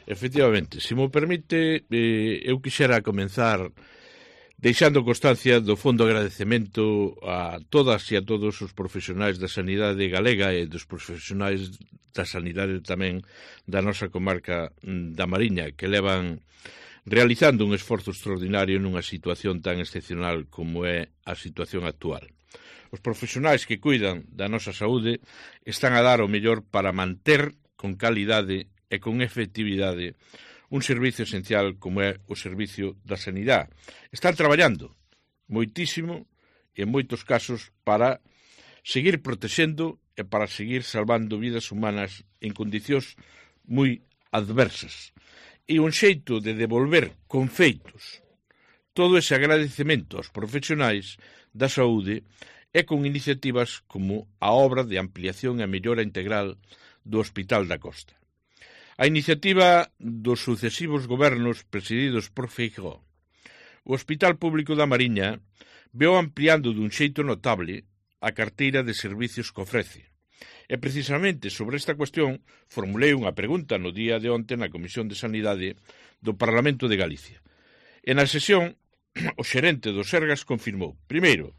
Efectivamente, se mo permite, eh, eu quixera comenzar deixando constancia do fondo agradecemento a todas e a todos os profesionais da sanidade galega e dos profesionais da sanidade tamén da nosa comarca da Mariña, que levan realizando un esforzo extraordinario nunha situación tan excepcional como é a situación actual. Os profesionais que cuidan da nosa saúde están a dar o mellor para manter con calidade e con efectividade un servicio esencial como é o servicio da sanidade. Están traballando moitísimo e en moitos casos para seguir protexendo e para seguir salvando vidas humanas en condicións moi adversas. E un xeito de devolver con feitos todo ese agradecemento aos profesionais da saúde é con iniciativas como a obra de ampliación e mellora integral do Hospital da Costa. A iniciativa dos sucesivos gobernos presididos por Feijóo. O Hospital Público da Mariña veo ampliando dun xeito notable a carteira de servicios que ofrece. E precisamente sobre esta cuestión formulei unha pregunta no día de onte na Comisión de Sanidade do Parlamento de Galicia. E na sesión, o xerente do Sergas confirmou, primeiro,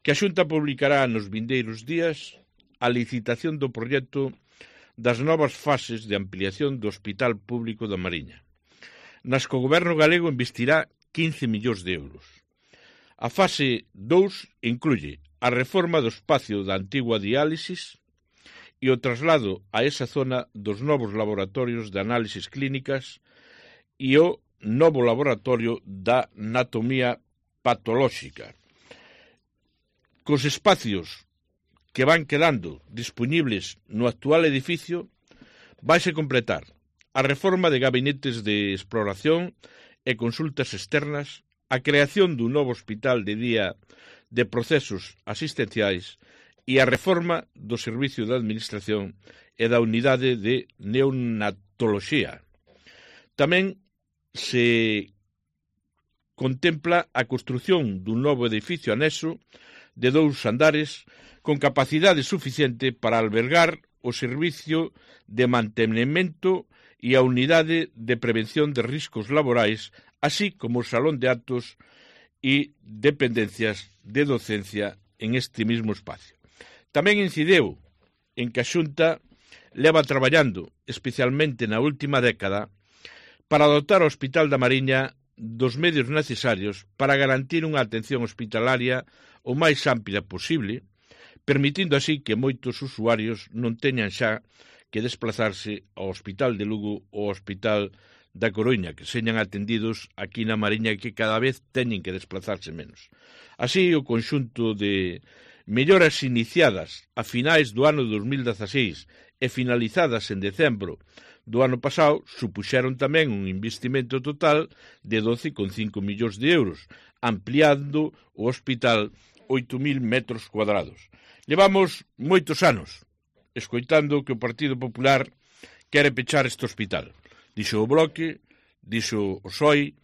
que a Xunta publicará nos vindeiros días a licitación do proxecto das novas fases de ampliación do Hospital Público da Mariña, nas que o Goberno galego investirá quince millóns de euros. A fase dous incluye a reforma do espacio da antigua diálisis e o traslado a esa zona dos novos laboratorios de análisis clínicas e o novo laboratorio da anatomía patolóxica. Cos espacios que van quedando disponibles no actual edificio, vaise completar a reforma de gabinetes de exploración e consultas externas, a creación dun novo hospital de día de procesos asistenciais e a reforma do Servicio de Administración e da Unidade de Neonatoloxía. Tamén se contempla a construción dun novo edificio anexo de dous andares con capacidade suficiente para albergar o servicio de mantenimento e a unidade de prevención de riscos laborais, así como o salón de actos e dependencias de docencia en este mismo espacio. Tamén incideu en que a Xunta leva traballando, especialmente na última década, para dotar o Hospital da Mariña dos medios necesarios para garantir unha atención hospitalaria o máis ampla posible, permitindo así que moitos usuarios non teñan xa que desplazarse ao Hospital de Lugo ou ao Hospital da Coruña, que señan atendidos aquí na Mariña e que cada vez teñen que desplazarse menos. Así, o conxunto de melloras iniciadas a finais do ano dos mil dezaseis e finalizadas en decembro do ano pasado supuxeron tamén un investimento total de doce coma cinco millóns de euros, ampliando o hospital oito mil metros cuadrados. Levamos moitos anos escoitando que o Partido Popular quere pechar este hospital. Dixo o Bloque, dixo o P S O E,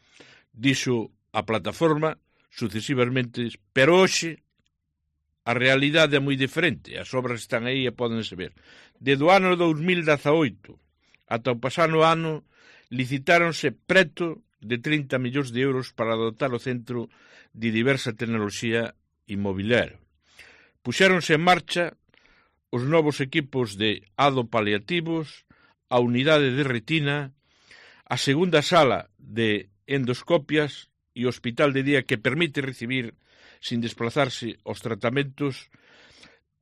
dixo a Plataforma, sucesivamente, pero hoxe a realidade é moi diferente, as obras están aí e pódense ver. Desde o ano dos mil dezaoito ata o pasado ano licitáronse preto de trinta millóns de euros para dotar o centro de diversa tecnoloxía inmobiliaria. Puxéronse en marcha os novos equipos de adopaliativos, a unidade de retina, a segunda sala de endoscopias e o hospital de día que permite recibir sin desplazarse aos tratamentos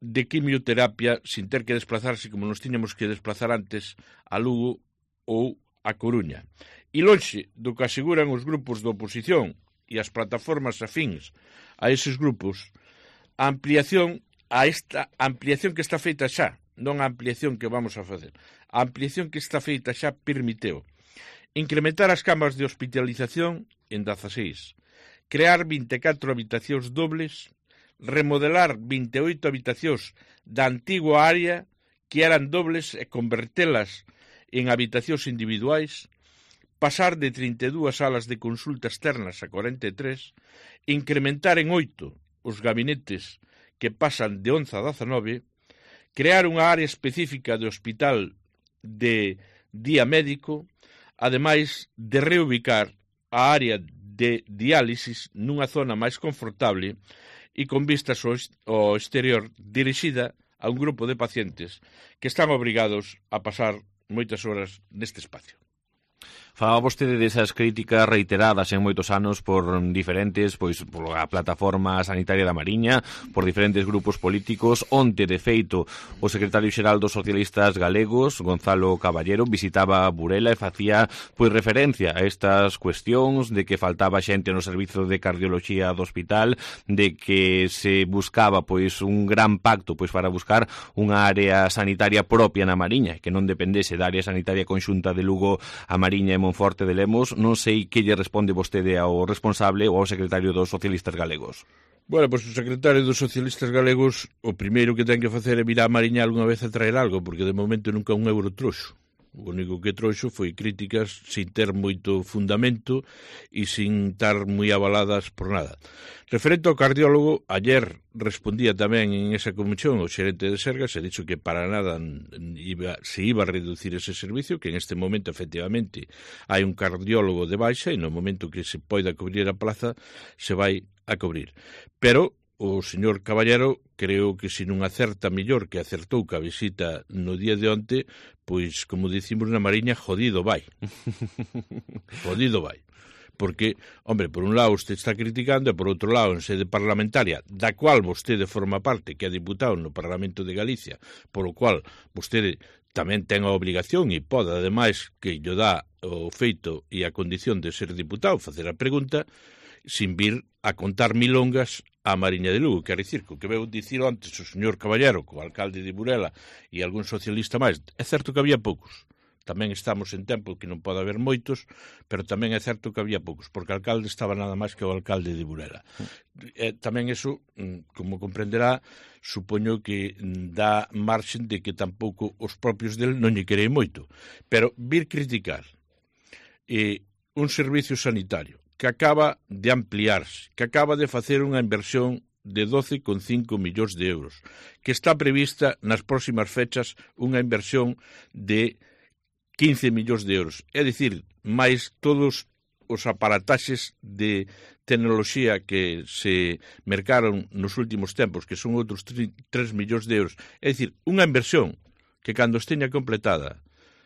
de quimioterapia sin ter que desplazarse como nos tiñamos que desplazar antes a Lugo ou a Coruña. E lonxe do que aseguran os grupos de oposición e as plataformas afíns a eses grupos, a ampliación a esta ampliación que está feita xa, non a ampliación que vamos a facer, a ampliación que está feita xa permiteu incrementar as camas de hospitalización en dezaseis, crear vinte e catro habitacións dobles, remodelar vinte e oito habitacións da antigua área que eran dobles e convertelas en habitacións individuais, pasar de trinta e dúas salas de consulta externas a cuarenta e tres, incrementar en oito os gabinetes que pasan de once a dezanove, crear unha área específica de hospital de día médico, ademais de reubicar a área de diálisis nunha zona máis confortable e con vistas ao exterior dirixida a un grupo de pacientes que están obrigados a pasar moitas horas neste espacio. Falaba vostede desas críticas reiteradas en moitos anos por diferentes, pois, por a plataforma sanitaria da Mariña, por diferentes grupos políticos. Onte, de feito, o secretario xeral dos socialistas galegos, Gonzalo Caballero, visitaba Burela e facía, pois, referencia a estas cuestións de que faltaba xente no servizo de cardioloxía do hospital, de que se buscaba, pois, un gran pacto, pois, para buscar unha área sanitaria propia na Mariña, que non dependese da área sanitaria conxunta de Lugo, a Mariña e Monforte de Lemos. Non sei que lle responde vostede ao responsable ou ao secretario dos socialistas galegos. Bueno, pois o secretario dos socialistas galegos o primeiro que ten que facer é virar a Mariña algunha vez a traer algo, porque de momento nunca un euro trouxo. O único que trouxo foi críticas sin ter moito fundamento e sin estar moi avaladas por nada. Referente ao cardiólogo, ayer respondía tamén en esa comisión o xerente de Sergas e dixo que para nada iba, se iba a reducir ese servicio, que en este momento efectivamente hai un cardiólogo de baixa e no momento que se poida cubrir a plaza se vai a cubrir. Pero o señor Caballero creo que se non acerta mellor que acertou que a visita no día de onte, pois, como dicimos na Mariña, jodido vai. Jodido vai. Porque, hombre, por un lado usted está criticando e por outro lado, en sede parlamentaria, da cual vostede forma parte, que é diputado no Parlamento de Galicia, por o cual vostede tamén ten a obligación e pode, ademais, que lle dá o feito e a condición de ser diputado, facer a pregunta, sin vir a contar milongas a Mariña de Lugo. Quer dicir, que o que veu dicir antes o señor Caballero, co alcalde de Burela e algún socialista máis, é certo que había poucos. Tamén estamos en tempo que non pode haber moitos, pero tamén é certo que había poucos, porque o alcalde estaba nada máis que o alcalde de Burela. E tamén eso, como comprenderá, supoño que dá marxen de que tampouco os propios del non lle queren moito. Pero vir criticar eh, un servicio sanitario que acaba de ampliarse, que acaba de facer unha inversión de doce coma cinco millóns de euros, que está prevista nas próximas fechas unha inversión de quince millóns de euros. É dicir, máis todos os aparataxes de tecnoloxía que se mercaron nos últimos tempos, que son outros tres millóns de euros. É dicir, unha inversión que cando esteña completada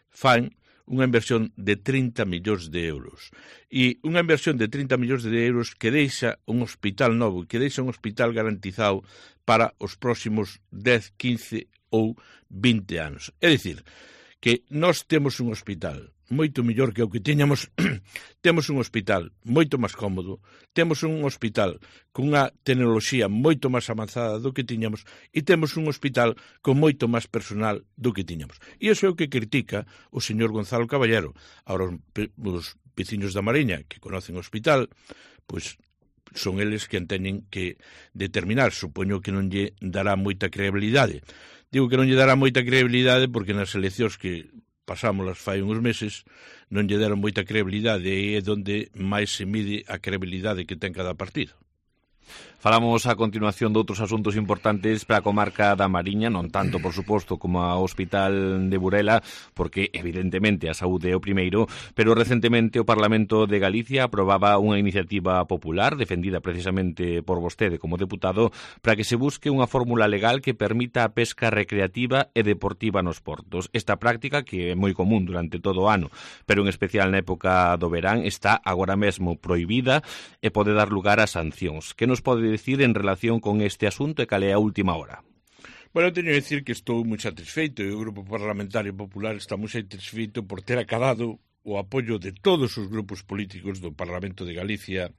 fan unha inversión de trinta millóns de euros. E unha inversión de trinta millóns de euros que deixa un hospital novo, que deixa un hospital garantizado para os próximos dez, quince ou vinte anos. É dicir, que nós temos un hospital moito mellor que o que tiñamos, temos un hospital moito máis cómodo, temos un hospital con unha tecnoloxía moito máis avanzada do que tiñamos e temos un hospital con moito máis personal do que tiñamos. E iso é o que critica o señor Gonzalo Caballero. Ahora, os veciños da Mariña que conocen o hospital, pois son eles que teñen que determinar. Supoño que non lle dará moita credibilidade. Digo que non lle dará moita credibilidade porque nas eleccións que pasámolas fai uns meses non lle deron moita credibilidade e é onde máis se mide a credibilidade que ten cada partido. Falamos a continuación de outros asuntos importantes para a comarca da Mariña, non tanto, por suposto, como ao Hospital de Burela, porque, evidentemente, a saúde é o primeiro, pero recentemente o Parlamento de Galicia aprobaba unha iniciativa popular, defendida precisamente por vostede como deputado, para que se busque unha fórmula legal que permita a pesca recreativa e deportiva nos portos. Esta práctica, que é moi común durante todo o ano, pero en especial na época do verán, está agora mesmo prohibida e pode dar lugar a sancións. Que nos pode decir en relación con este asunto e cal é a última hora? Bueno, teño que decir que estou moi satisfeito e o Grupo Parlamentario Popular está moi satisfeito por ter acabado o apoio de todos os grupos políticos do Parlamento de Galicia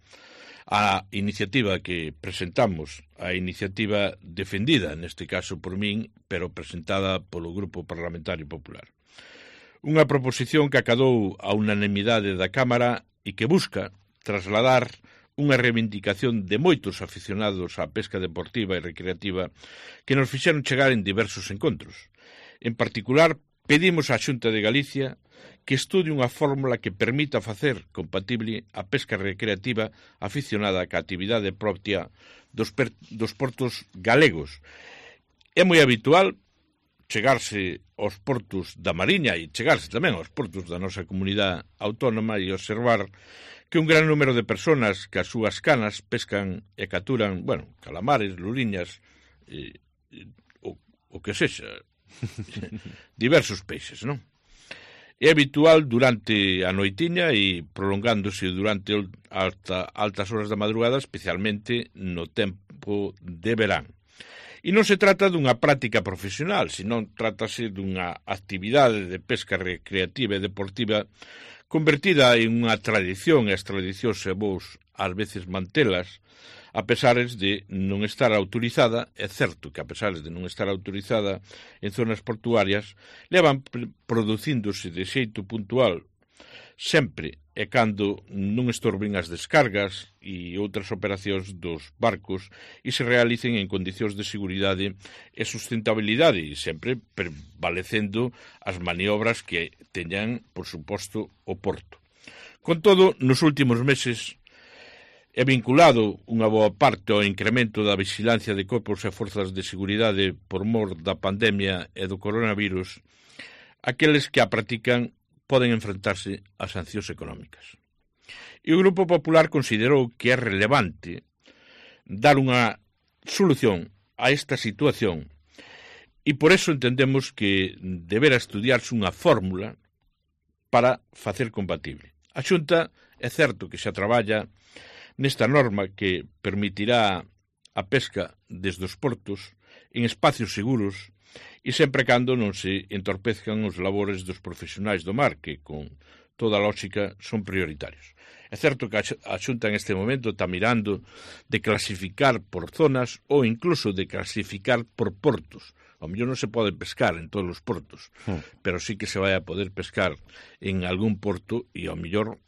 a iniciativa que presentamos, a iniciativa defendida, neste caso por min, pero presentada polo Grupo Parlamentario Popular. Unha proposición que acadou a unanimidade da Cámara e que busca trasladar unha reivindicación de moitos aficionados á pesca deportiva e recreativa que nos fixeron chegar en diversos encontros. En particular, pedimos á Xunta de Galicia que estude unha fórmula que permita facer compatible a pesca recreativa aficionada á actividade propia dos, per, dos portos galegos. É moi habitual chegarse aos portos da Mariña e chegarse tamén aos portos da nosa comunidade autónoma e observar que un gran número de personas que as súas canas pescan e capturan, bueno, calamares, luriñas, e, e, o, o que sexa, diversos peixes, non? É habitual durante a noitiña e prolongándose durante alta, altas horas da madrugada, especialmente no tempo de verán. E non se trata dunha práctica profesional, senón trátase dunha actividade de pesca recreativa e deportiva convertida en unha tradición, e as tradicións é vos ás veces mantelas, a pesares de non estar autorizada. É certo que a pesares de non estar autorizada en zonas portuarias, levan producíndose de xeito puntual sempre e cando non estorben as descargas e outras operacións dos barcos e se realicen en condicións de seguridade e sustentabilidade e sempre prevalecendo as maniobras que teñan, por suposto, o porto. Con todo, nos últimos meses é vinculado unha boa parte ao incremento da vigilancia de corpos e forzas de seguridade por mor da pandemia e do coronavirus, aqueles que a practican poden enfrentarse a sancións económicas. E o Grupo Popular considerou que é relevante dar unha solución a esta situación e por eso entendemos que deberá estudiarse unha fórmula para facer compatible. A Xunta é certo que xa traballa nesta norma que permitirá a pesca desde os portos en espacios seguros e sempre cando non se entorpezcan os labores dos profesionais do mar, que, con toda a lógica, son prioritarios. É certo que a Xunta en este momento está mirando de clasificar por zonas ou incluso de clasificar por portos. Ao mellor non se pode pescar en todos os portos, mm. pero sí que se vai a poder pescar en algún porto e ao mellor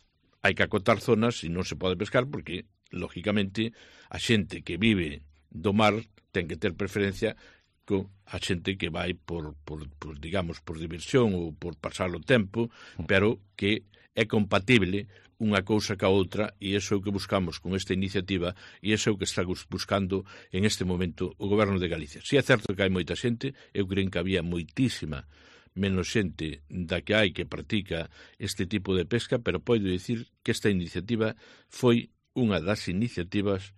hai que acotar zonas e non se pode pescar porque, lógicamente, a xente que vive do mar ten que ter preferencia con a xente que vai por, por, por, digamos, por diversión ou por pasar o tempo, pero que é compatible unha cousa ca outra e iso é o que buscamos con esta iniciativa e iso é o que está buscando en este momento o Goberno de Galicia. Si é certo que hai moita xente, eu creo que había moitísima menos xente da que hai que practica este tipo de pesca, pero podo dicir que esta iniciativa foi unha das iniciativas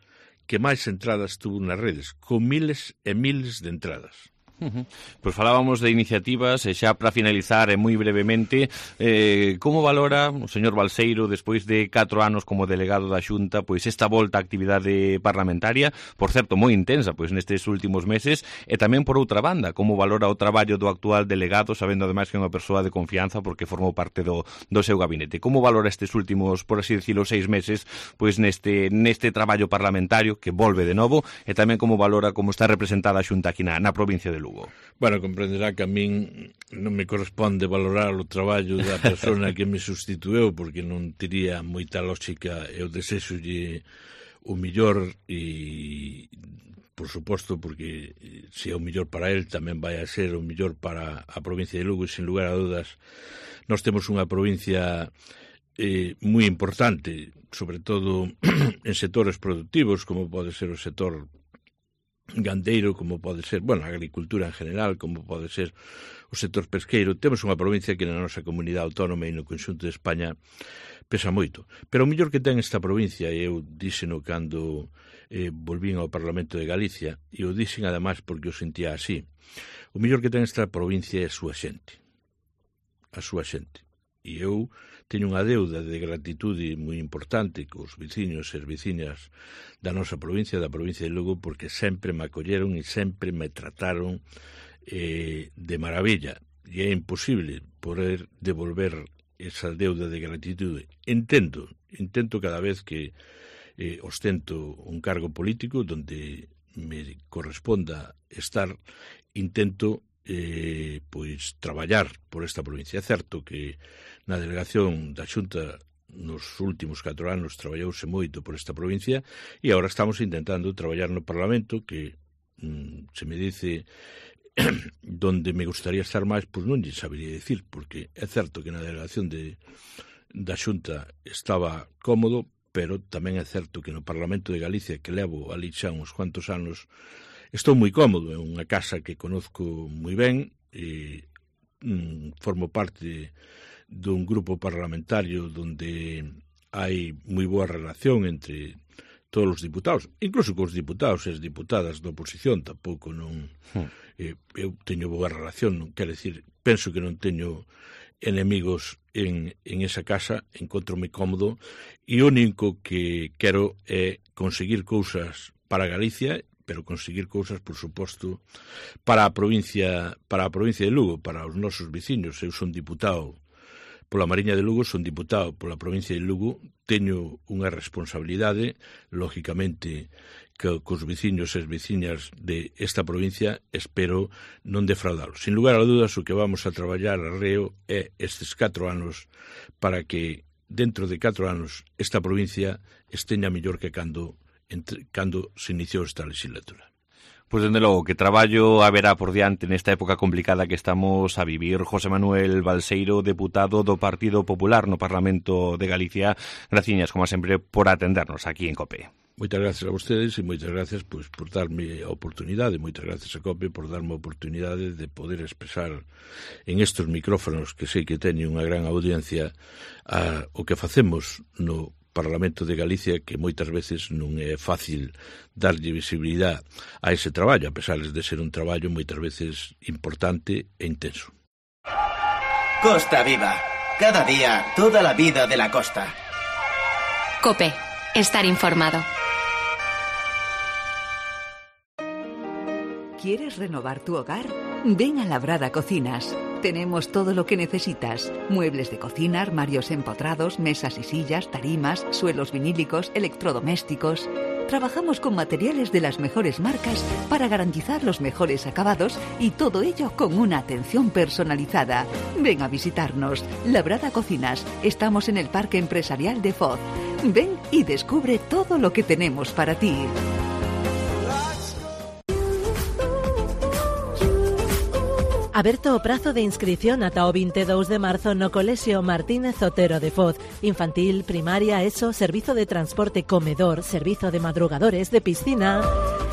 que máis entradas tuvo nas redes, con miles e miles de entradas. Uh-huh. Pois falábamos de iniciativas e xa para finalizar e moi brevemente, eh, como valora o señor Balseiro despois de catro anos como delegado da Xunta pois esta volta á actividade parlamentaria, por certo moi intensa pois nestes últimos meses, e tamén por outra banda, como valora o traballo do actual delegado, sabendo ademais que é unha persoa de confianza porque formou parte do, do seu gabinete. Como valora estes últimos, por así decirlo, seis meses pois neste, neste traballo parlamentario que volve de novo, e tamén como valora como está representada a Xunta aquí na, na provincia de Lugo? Bueno, comprenderá que a min non me corresponde valorar o traballo da persona que me sustitueu porque non tería moita lógica. Eu desexolle o millor e, por suposto, porque se é o millor para el tamén vai a ser o millor para a provincia de Lugo e, sin lugar a dudas, nós temos unha provincia eh, moi importante, sobre todo en sectores productivos, como pode ser o sector gandeiro, como pode ser, bueno, a agricultura en general, como pode ser o sector pesqueiro. Temos unha provincia que na nosa comunidade autónoma e no conxunto de España pesa moito. Pero o mellor que ten esta provincia, e eu díxeno cando eh, volvín ao Parlamento de Galicia, e o dixen ademais porque o sentía así, o mellor que ten esta provincia é a súa xente. A súa xente. E eu teño unha deuda de gratitude moi importante cos veciños e as veciñas da nosa provincia, da provincia de Lugo, porque sempre me acolleron e sempre me trataron eh, de maravilla. E é imposible poder devolver esa deuda de gratitude. Entendo, intento cada vez que eh, ostento un cargo político donde me corresponda estar, intento eh, pois traballar por esta provincia. É certo que na delegación da Xunta nos últimos catro anos traballouse moito por esta provincia e agora estamos intentando traballar no Parlamento, que mm, se me dice donde me gustaría estar máis, pois non lle sabería dicir, porque é certo que na delegación de, da Xunta estaba cómodo, pero tamén é certo que no Parlamento de Galicia, que levo ali xa uns cuantos anos, estou moi cómodo. É unha casa que conozco moi ben e mm, formo parte dun grupo parlamentario donde hai moi boa relación entre todos os diputados, incluso cos diputados e as diputadas da oposición. Tampouco non... Hmm. Eh, eu teño boa relación, non quero decir, penso que non teño enemigos en, en esa casa, encontro-me cómodo e o único que quero é conseguir cousas para Galicia, pero conseguir cousas, por suposto, para a provincia, para a provincia de Lugo, para os nosos veciños. Eu son diputado pola Mariña de Lugo, son diputado pola provincia de Lugo, teño unha responsabilidade, lógicamente, que cos veciños e as veciñas de esta provincia espero non defraudalos. Sin lugar a dudas, o que vamos a traballar a reo é estes catro anos para que, dentro de catro anos, esta provincia esteña mellor que cando, entre, cando se iniciou esta legislatura. Pois, dende logo, que traballo haberá por diante nesta época complicada que estamos a vivir. José Manuel Balseiro, deputado do Partido Popular no Parlamento de Galicia, graciñas, como sempre, por atendernos aquí en COPE. Moitas gracias a vostedes e moitas gracias pois, por darme a oportunidade, moitas gracias a COPE por darme a oportunidade de poder expresar en estes micrófonos que sei que teñen unha gran audiencia a, o que facemos no Parlamento de Galicia, que moitas veces non é fácil darlle visibilidade a ese traballo, a pesar de ser un traballo moitas veces importante e intenso. Costa Viva. Cada día, toda la vida de la costa. COPE. Estar informado. ¿Quieres renovar tu hogar? Ven a Labrada Cocinas. Tenemos todo lo que necesitas. Muebles de cocina, armarios empotrados, mesas y sillas, tarimas, suelos vinílicos, electrodomésticos. Trabajamos con materiales de las mejores marcas para garantizar los mejores acabados y todo ello con una atención personalizada. Ven a visitarnos. Labrada Cocinas. Estamos en el Parque Empresarial de Foz. Ven y descubre todo lo que tenemos para ti. Aberto o prazo de inscripción ata o veintidós de marzo no Colexio Martínez Otero de Foz. Infantil, primaria, ESO, servizo de transporte, comedor, servizo de madrugadores, de piscina.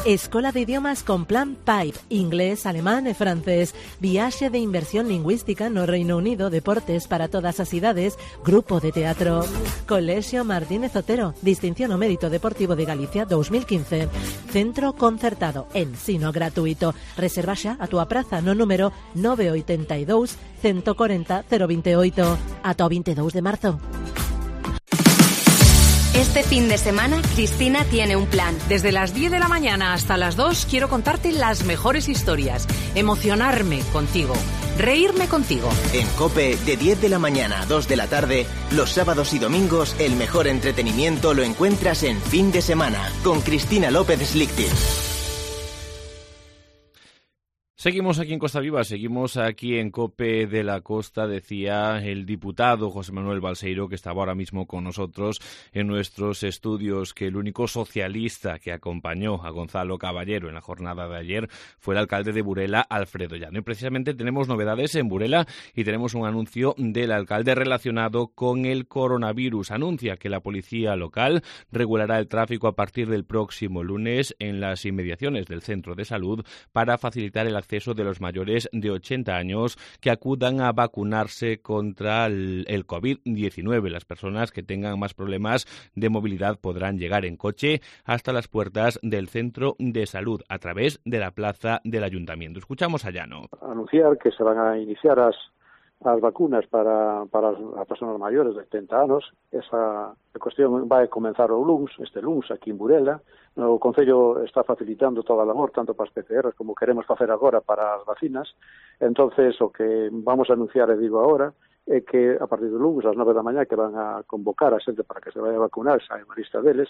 Escola de idiomas con plan Pipe, inglés, alemán e francés. Viaxe de inversión lingüística no Reino Unido, deportes para todas as idades, grupo de teatro. Colexio Martínez Otero, distinción ao mérito deportivo de Galicia dos mil quince. Centro concertado, ensino gratuito. Reserva xa a túa praza no número nove oito dous, uno cuatro cero, cero veintiocho. Ata o veintidós de marzo. Este fin de semana, Cristina tiene un plan. Desde las diez de la mañana hasta las dos quiero contarte las mejores historias, emocionarme contigo, reírme contigo. En COPE, de diez de la mañana a dos de la tarde, los sábados y domingos, el mejor entretenimiento lo encuentras en Fin de Semana, con Cristina López Slichting. Seguimos aquí en Costa Viva, seguimos aquí en COPE de la Costa, decía el diputado José Manuel Balseiro, que estaba ahora mismo con nosotros en nuestros estudios, que el único socialista que acompañó a Gonzalo Caballero en la jornada de ayer fue el alcalde de Burela, Alfredo Llano. Y precisamente tenemos novedades en Burela y tenemos un anuncio del alcalde relacionado con el coronavirus. Anuncia que la policía local regulará el tráfico a partir del próximo lunes en las inmediaciones del centro de salud para facilitar el acceso de los mayores de ochenta años que acudan a vacunarse contra el, el COVID diecinueve. Las personas que tengan más problemas de movilidad podrán llegar en coche hasta las puertas del centro de salud a través de la plaza del ayuntamiento. Escuchamos a Llano. Anunciar que se van a iniciar as, as vacunas para, para as personas maiores de ochenta anos. Esa cuestión vai comenzar o luns, este luns, aquí en Burela. O Concello está facilitando toda a labor, tanto para as P C Rs como queremos facer agora para as vacinas. Entonces, o que vamos a anunciar, e digo agora, é que a partir do lunes, ás nove da mañá, que van a convocar a xente para que se vaya a vacunar, xa hai unha lista deles,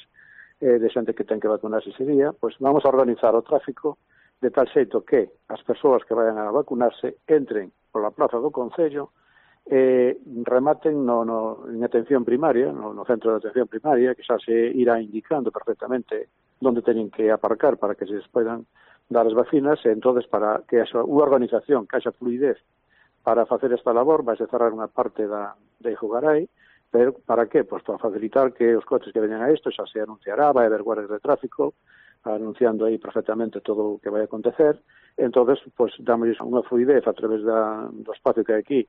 eh, de xente que ten que vacunarse ese día, pois vamos a organizar o tráfico de tal xeito que as persoas que vayan a vacunarse entren pola plaza do Concello, eh, rematen no, no, en atención primaria, no, no centro de atención primaria, que xa se irá indicando perfectamente onde teñen que aparcar para que se les poidan dar as vacinas, e entonces para que haxa unha organización, que haxa fluidez para facer esta labor, vai se cerrar unha parte da, de Jugaray, pero para que? Pois para facilitar que os coches que veñan a isto xa se anunciará, vai haber guardias de tráfico, anunciando aí perfectamente todo o que vai acontecer, entonces, pois, damos unha fluidez a través da, do espacio que hai aquí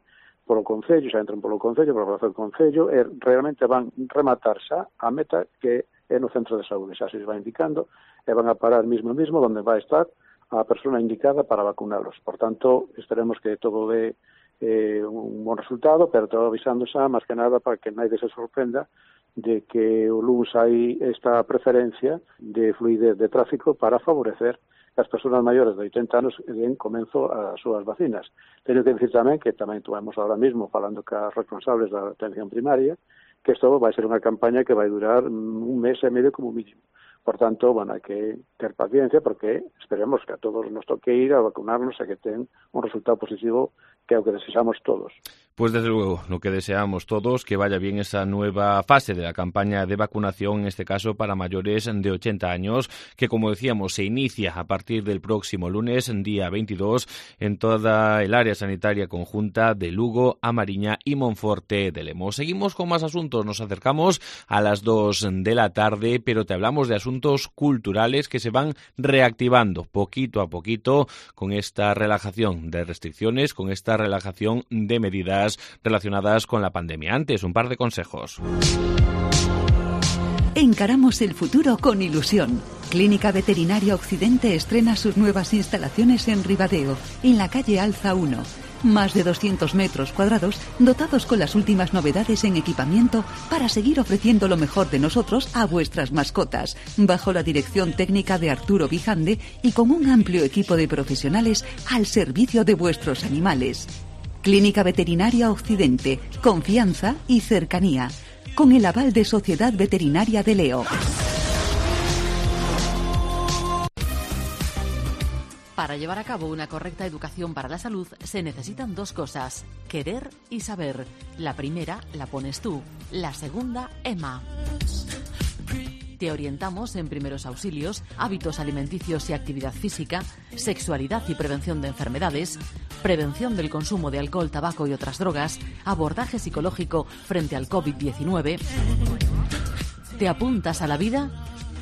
polo Concello, xa entran polo Concello, polo Plaza do Concello, e realmente van rematar xa a meta que é no centro de saúde, xa se les vai indicando, e van a parar mismo mismo onde vai estar a persona indicada para vacunarlos. Por tanto, esperemos que todo dé eh, un bon resultado, pero todo avisando xa, máis que nada, para que nadie se sorprenda de que o lunes hai esta preferencia de fluidez de tráfico para favorecer que as persoas maiores de oitenta anos den comenzo as súas vacinas. Teño que dicir tamén que tamén tuvemos ahora mismo falando cas responsables da atención primaria que isto vai ser unha campaña que vai durar un mes e medio como mínimo. Por tanto, bueno, hai que ter paciencia porque esperemos que a todos nos toque ir a vacunarnos e que ten un resultado positivo que é o que desexamos todos. Pues desde luego, lo que deseamos todos, que vaya bien esa nueva fase de la campaña de vacunación, en este caso para mayores de ochenta años, que como decíamos se inicia a partir del próximo lunes, día veintidós, en toda el área sanitaria conjunta de Lugo, Amariña y Monforte de Lemos. Seguimos con más asuntos, nos acercamos a las dos de la tarde, pero te hablamos de asuntos culturales que se van reactivando poquito a poquito con esta relajación de restricciones, con esta relajación de medidas relacionadas con la pandemia. Antes, un par de consejos. Encaramos el futuro con ilusión. Clínica Veterinaria Occidente estrena sus nuevas instalaciones en Ribadeo, en la calle Alza uno. Más de doscientos metros cuadrados, dotados con las últimas novedades en equipamiento para seguir ofreciendo lo mejor de nosotros a vuestras mascotas, bajo la dirección técnica de Arturo Vijande y con un amplio equipo de profesionales al servicio de vuestros animales. Clínica Veterinaria Occidente, confianza y cercanía, con el aval de Sociedad Veterinaria de Leo. Para llevar a cabo una correcta educación para la salud se necesitan dos cosas, querer y saber. La primera la pones tú, la segunda, Emma. Te orientamos en primeros auxilios, hábitos alimenticios y actividad física, sexualidad y prevención de enfermedades, prevención del consumo de alcohol, tabaco y otras drogas, abordaje psicológico frente al COVID diecinueve. ¿Te apuntas a la vida?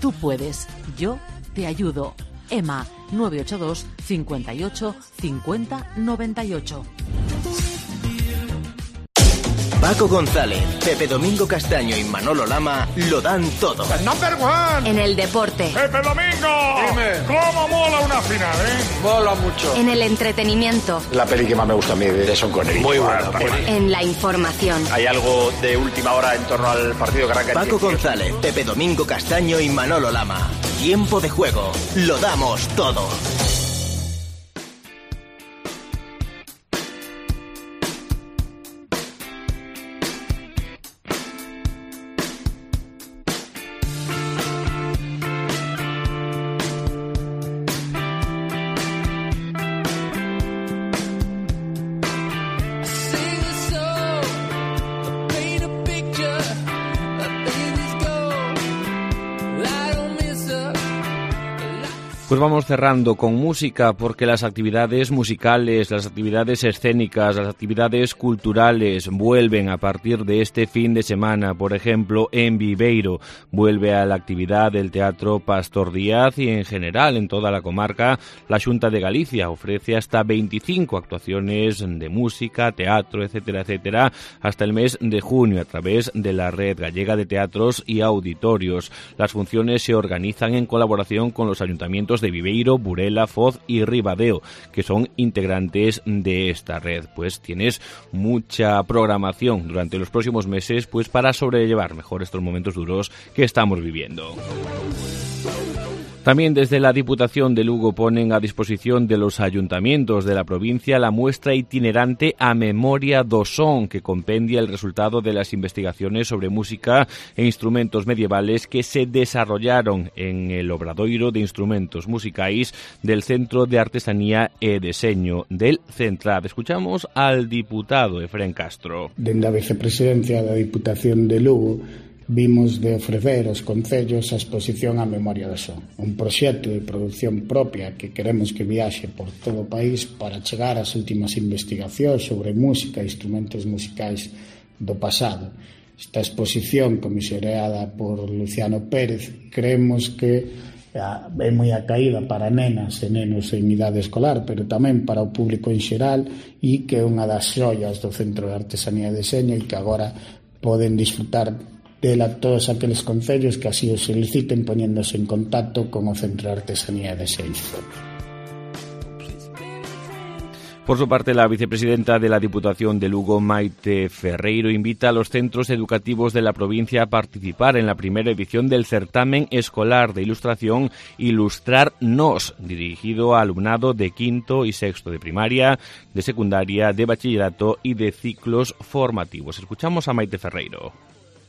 Tú puedes. Yo te ayudo. Emma, nueve ocho dos, cincuenta y ocho, cincuenta, noventa y ocho. Paco González, Pepe Domingo Castaño y Manolo Lama lo dan todo. ¡El number one! En el deporte. ¡Pepe Domingo! Dime. ¿Cómo mola una final, eh? Mola mucho. En el entretenimiento. La peli que más me gusta a mí de Sean Connery. Muy buena peli. En la información. ¿Hay algo de última hora en torno al partido que arranca? Paco González, Pepe Domingo Castaño y Manolo Lama. Tiempo de juego. Lo damos todo. Pues vamos cerrando con música porque las actividades musicales, las actividades escénicas, las actividades culturales vuelven a partir de este fin de semana. Por ejemplo, en Viveiro vuelve a la actividad del Teatro Pastor Díaz y en general en toda la comarca la Xunta de Galicia ofrece hasta veinticinco actuaciones de música, teatro, etcétera, etcétera, hasta el mes de junio a través de la Red Gallega de Teatros y Auditorios. Las funciones se organizan en colaboración con los ayuntamientos de Viveiro, Burela, Foz y Ribadeo, que son integrantes de esta red. Pues tienes mucha programación durante los próximos meses pues para sobrellevar mejor estos momentos duros que estamos viviendo. También desde la Diputación de Lugo ponen a disposición de los ayuntamientos de la provincia la muestra itinerante A Memoria do Son, que compendia el resultado de las investigaciones sobre música e instrumentos medievales que se desarrollaron en el Obradoiro de Instrumentos Musicais del Centro de Artesanía e Deseño del Centrad. Escuchamos al diputado Efrén Castro. Dende a vicepresidencia da Diputación de Lugo vimos de ofrecer aos concellos a exposición A Memoria do Son, un proxecto de produción propia que queremos que viaxe por todo o país para chegar ás últimas investigacións sobre música e instrumentos musicais do pasado. Esta exposición, comisioreada por Luciano Pérez, creemos que é moi acaída para nenas e nenos en idade escolar, pero tamén para o público en xeral, e que é unha das xoias do Centro de Artesanía e Deseño e que agora poden disfrutar dela todos aqueles concellos que así o soliciten poñéndose en contacto con o Centro de Artesanía e Deseño. Por su parte, la vicepresidenta de la Diputación de Lugo, Maite Ferreiro, invita a los centros educativos de la provincia a participar en la primera edición del certamen escolar de ilustración Ilustrar Nos, dirigido a alumnado de quinto y sexto de primaria, de secundaria, de bachillerato y de ciclos formativos. Escuchamos a Maite Ferreiro.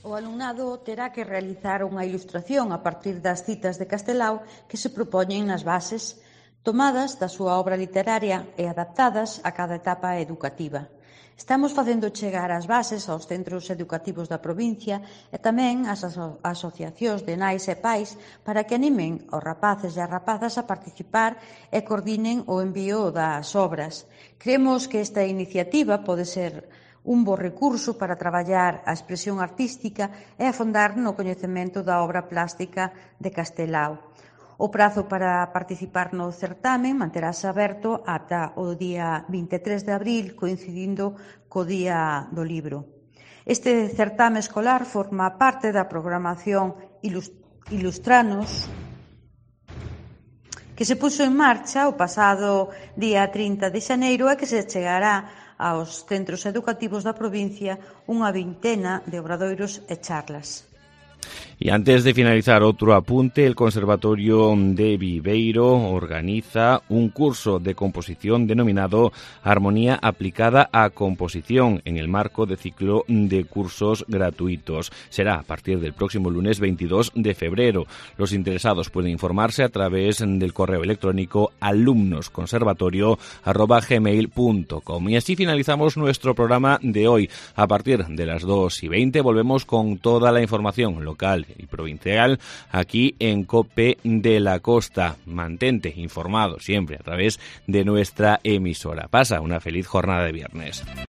O alumnado terá que realizar unha ilustración a partir das citas de Castelao que se propoñen nas bases, tomadas da súa obra literaria e adaptadas a cada etapa educativa. Estamos facendo chegar as bases aos centros educativos da provincia e tamén ás aso- asociacións de nais e pais para que animen aos rapaces e as rapazas a participar e coordinen o envío das obras. Creemos que esta iniciativa pode ser un bo recurso para traballar a expresión artística e afondar no coñecemento da obra plástica de Castelao. O prazo para participar no certamen manterase aberto ata o día vinte e tres de abril, coincidindo co Día do Libro. Este certame escolar forma parte da programación Ilustranos, que se puso en marcha o pasado día trinta de xaneiro e que se chegará aos centros educativos da provincia unha vintena de obradoiros e charlas. Y antes de finalizar, otro apunte: el Conservatorio de Viveiro organiza un curso de composición denominado Armonía aplicada a composición en el marco de ciclo de cursos gratuitos. Será a partir del próximo lunes veintidós de febrero. Los interesados pueden informarse a través del correo electrónico alumnosconservatorio arroba gmail punto com. Y así finalizamos nuestro programa de hoy. A partir de las dos y veinte volvemos con toda la información local y provincial aquí en COPE de la Costa. Mantente informado siempre a través de nuestra emisora. Pasa una feliz jornada de viernes.